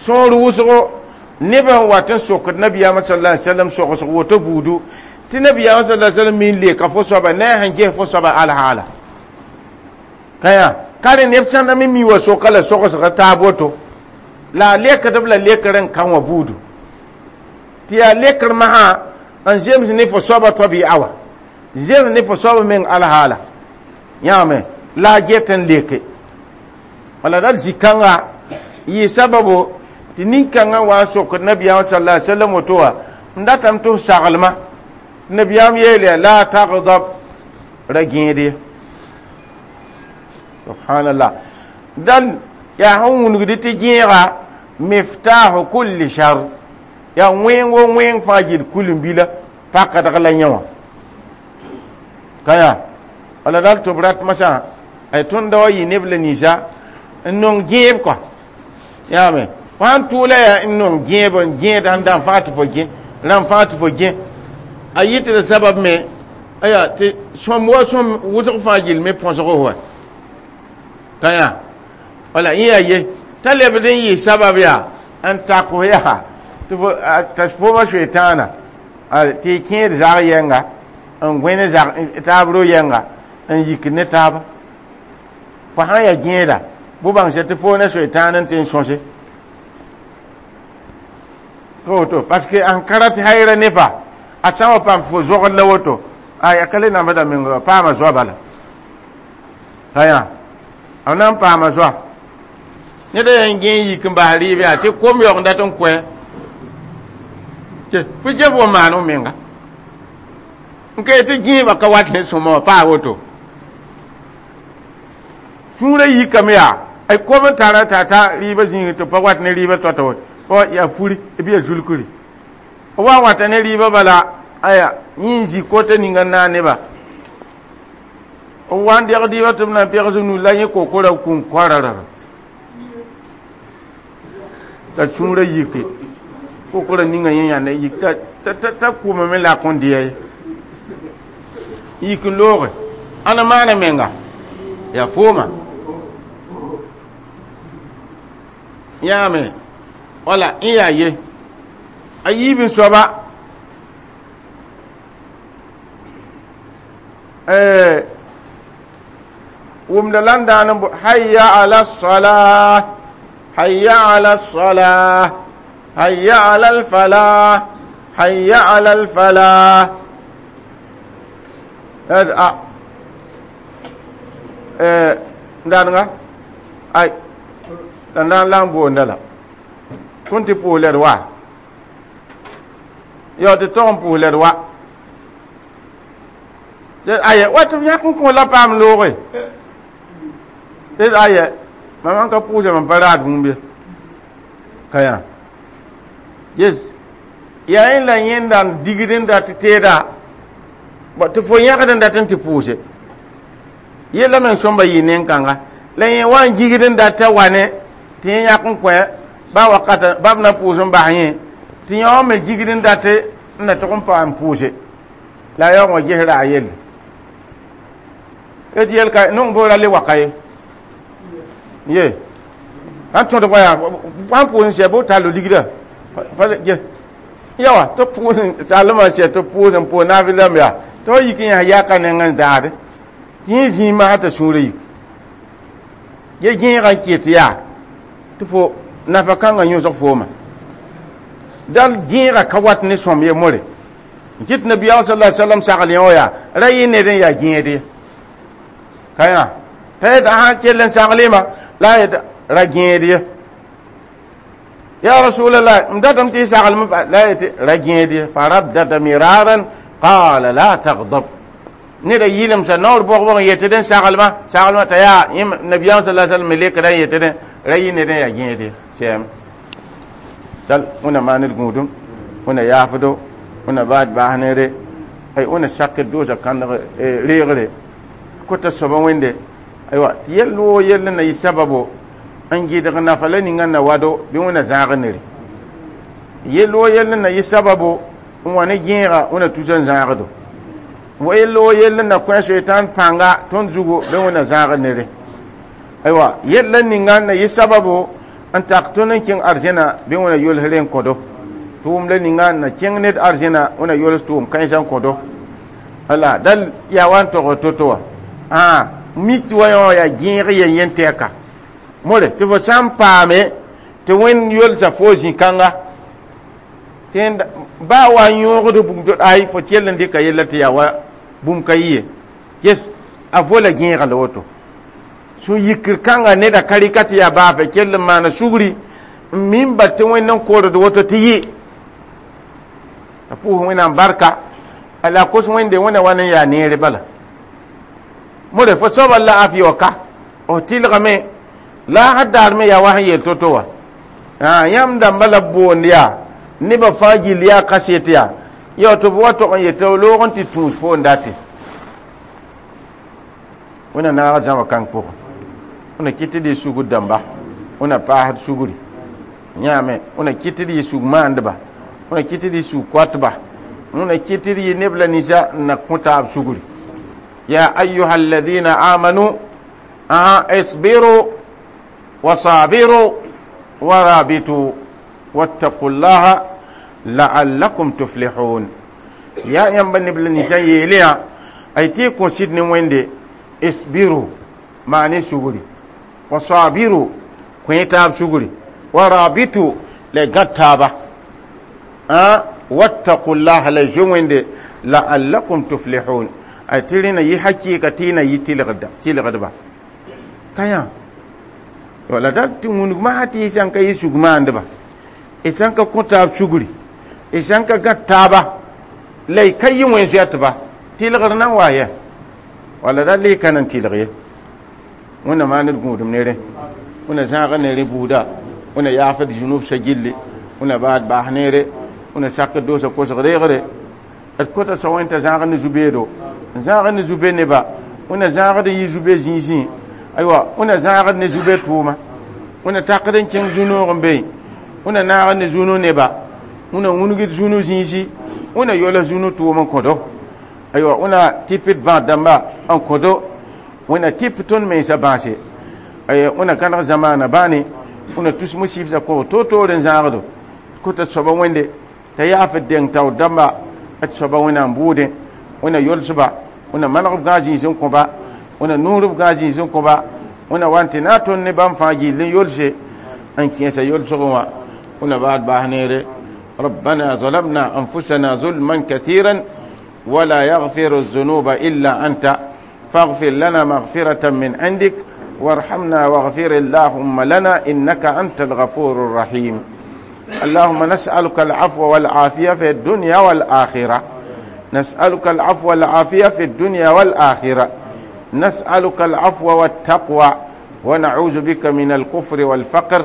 sõor wʋsgo nebã n wat n sokd nabiyaamã sallallahu alaihi wasallam sogsg woto buudu tɩ nabiyaamã sallallahu alaihi wasallam me n leka fo soaba ne a sẽn ges fo soaba alhaala ka yã ka rẽ neb sãnda me mi wa soka la sogsga taab woto la a lekdb la lekr n kã wã buudu tɩ yaa lekr masã n zems ne fo soaba tɩ b yaa wa zems ne fo soaba meng alhaala yãame la a get n leke wala dal zĩ-kãnga yɩ sababu tɩ nin-kãngã wa n sokd nabiyaam sallallahu alaihi wasallam woto wã n datame tɩ f saglma nabiyaam yeel yaa la tagdab ra gẽed ye subhanallah dal yaa sẽn wũnugd tɩ gẽega miftahu kulli shar yaa wẽng wo wẽng fãa gill kulim-bila pakdg la yẽ wã ka yaa wala dal tɩ b rat masã ay tõnd da wa yɩ neb la ninsã n nong gẽeb kɔa yaame fo sãn tʋʋla yaa n nong gẽeb n gẽed sẽn dãn fãa tɩ fo gẽ rãmb fãa tɩ fo gẽ a yɩ tɩ d sabab me aya tɩ sõm wa sõm wʋsg fãa gill me põsg wa ka yã wala yẽ yaa ye t'a lebd n yɩ sabab yaa n tak fo yaa t'a foma soetãana tɩ y kẽed zag yɛnga n gõe ne zag taab ro yɛnga n yik ne taaba fo sã n yaa gẽeda bʋ bãngsa tɩ fo ne soetãan n tɩ n sõse to woto parce que an ka rat hayra ne fa a sã n wa paam fo zogd la woto ay a ka le nambda meng paama zoa bala ka yã a na n paama zoa ned a yaa n gẽ n yik n bas rɩɩb yaa tɩ kom yaoog n dat n kõ fo gef wa maan f menga n ka tɩ gẽebã ka wat ne sõma wã paa woto sũurã yikame yaa ay kom n tara t'a ta rɩɩbã zĩig tɩ pa wat ne rɩɩbã tota woto wa yaa furi bɩ yaa zulkri b wa wata ne rɩɩbã bala aya yẽ n zĩ kota ninga n naag nebã b wa n deg dɩɩbã tɩ b na n pegs nu la yẽ kokora kũn koararara t'a sũurã yike kokora ninga yẽ yãnda yik t'a kʋʋmame la a kõn dɩya ye yik n looge ãna maana menga yaa fooma yãame wala n yaa ye a yiib n soaba wʋmda la n daan n hayya ala salah hayya ala salah hayya ala alfalah hayya ala alfalah a n daadga ay la na n la n boonda la tõnd tɩ pʋʋs la d wa yo tɩ tog n pʋʋs la d wa aya wa tɩ b yãk n kõ la paam looge aya mam n ka pʋʋsa mam pa raad bũmb ye ka yã yes yaa yẽ la yẽnda n digd n dat teeda tɩ fo yãgd n dat n tɩ pʋʋse yella meng sõmba yɩ nen-kãnga la yẽ wa n gigd n dat t'a wa ne tɩ yẽ yãk n kõ ba wakata bab na pʋʋs n bas yẽ tɩ yã wã me gigd n dat n na tʋg n paam pʋʋse la a yaoog wã ges ra a yelle d yel ka nong bo ra le waka ye ye sãn tõdg wa yaa sãn pʋʋs n sɛ bɩ tall ligda yawa tɩ pʋʋs sallmã sɛ tɩ pʋʋs n pʋʋs naafɩlame yaa tɩ fa yik n yãs yaka neng n daade tɩ yẽ zĩig masã t'a sũurã yik Ye gẽegã n ket yaa tɩ fo nafa kãngã yõsg fooma dal gẽegã ka wat ne sõm ye more n kɩt nabiyaam sallallahu alaihi wasallam sagl yẽ wã yaa ra yɩ ned n yaa gẽed ye ka yã t'a yet sã kell n saglema la a yet ra gẽed ye ya rasulallah m datame tɩ y saglem la a yetɩ ra gẽed ye faraddada miraran qala la tagdab neda yɩlemsa naoor bog-bog n yetd n saglma saglma t'a yaa nabiyaam sallallahu alaihi wasallam me lekda n yetdẽ ra yɩ ned n yaa gẽed ye sɛɛme dal wẽna maan d gũudum wẽna yaafdo wẽna baad baas neere ay wẽna sakd doosa kãndg reegre kota soaba wẽnde aywa tɩ yell woo yell na yɩ sababo n gɩdg nafa la ninga na wado bɩ wẽna zãag nere yell woo yell na yɩ sababo n wa ne gẽega wẽna tusa n zãagdo yell woo yell na kõ soetan pãnga tõnd zugu bɩ wẽna zãag nere aywa yella ninga na yɩ sababo n tak tõnd n kẽng arzẽna bɩ wẽna yolsre n kõdo tʋʋm la ninga na kẽng ned arzẽna wẽna yols tʋʋm kãensã n kõdo wala dal yaa wa n tog to-to wã ã mik tɩ wa yã yaa gẽeg yen yen tɛka more tɩ fo sã n paame tɩ wẽnd yolsa fo zĩ-kãnga tɩ baa wa n yõogd bũmb to ay fo kell n dɩka yella tɩ yaa wa bũmb ka yɩ ye yes a vola gẽega la woto sũ-yikr kãnga neda ka rɩka tɩ yaa baafɛ kell n maana sugri n min bal tɩ wẽnd n koord woto tɩ yɩ a pʋʋs wẽnnaam barka la kos wẽnde wẽna wa n yaa neere bala more fo soaba la afi wa ka f tɩlgame la a daar me yaa wa sẽn yel to-to wã yãmb dãmba la b boond yaa nebã fãa gill yaa kaset yaa ya tɩ b wa tog n yetɩ loog n tɩ tũus fo n date wẽna naag zãma kãng pʋgẽ wẽna kɩt tɩ d yɩ sugr dãmba wẽna paasd sugri yãame wẽna kɩt tɩ d yɩ sug maandba wẽna kɩt tɩ d yɩ sug koatba wẽna kɩt tɩ d yɩ neb la ninsã n na kõ taab sugri ya ayuha alladina amanu isbiru وصابروا ورابطوا واتقوا الله لعلكم تفلحون يا يamba neb la ninsã yeele yã ay tɩ y kõ sɩd ne wẽnde isbiru maane sugri wasabiru kõ taab sugri warabitu la y gãd taaba wattaqu llaha la y zoe wẽnde la'allakum tuflihun ay tɩ rẽna yɩ hakɩɩka tɩ y na yɩ tɩlgdba ka yã wala dal tɩ wũnug masã tɩ y sãn ka yɩ sug maandba y sãn ka kõ taab sugri y sãn ka gãd taaba la y ka yɩ wẽn zoɛtba tɩlgr nan wa yɛ wala dal y ka nan tɩlg ye wẽnna maan d gũudum neere wẽnna zãaga neere buuda wẽnna yaafd zunubsã gilli wẽnna baad baas neere wẽnna sakd doosa kosg reegre d kota soa wẽn t'a zãag ne zu-beedo n zãag ne zu-be neba wẽnna zãagd n yɩ zu-be zĩisẽ aywa wẽnna zãagd ne zu-be tʋʋma wẽnna takd n kẽng zu-noog n be wẽnna naagd ne zu-no neba wẽnna wũnugd zu-no zĩisi wẽnna yols zu-no tʋʋm n kõdo aywa wẽnna tɩp d bãad dãmba n kõdo wẽnna tɩp tõnd mensã bãase wẽnna kãneg zamaana bãane wẽnna tus musibsã kõ to-toor n zãagdo kota soaba wẽnde t'a yaafd deng taoor dãmba d soaba wẽnnaam bʋʋdẽ wẽnna yolsba wẽnna maneg b gãag zĩis n kõba wẽnna nuur b gãag zĩis n kõba wẽnna wa n tɩ na tõnd ne bãmb fãa gill n yolse n kẽesa yolsgẽ wã wẽnna baad baas neere ربنا ظلمنا أنفسنا ظلما كثيرا ولا يغفر الذنوب إلا أنت فاغفر لنا مغفرة من عندك وارحمنا واغفر اللهم لنا إنك أنت الغفور الرحيم اللهم نسألك العفو والعافية في الدنيا والآخرة نسألك العفو والعافية في الدنيا والآخرة نسألك العفو والتقوى ونعوذ بك من الكفر والفقر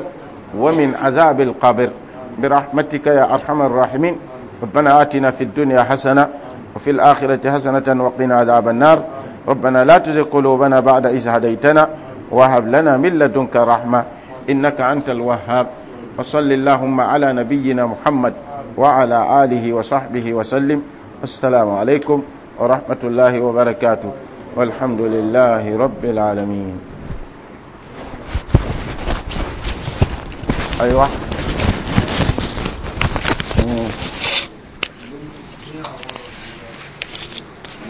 ومن عذاب القبر برحمتك يا أرحم الراحمين ربنا آتنا في الدنيا حسنة وفي الآخرة حسنة وقنا عذاب النار ربنا لا تزغ قلوبنا بعد إذ هديتنا وهب لنا من لدنك رحمة إنك أنت الوهاب وصل اللهم على نبينا محمد وعلى آله وصحبه وسلم السلام عليكم ورحمة الله وبركاته والحمد لله رب العالمين أيوة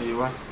أيوة.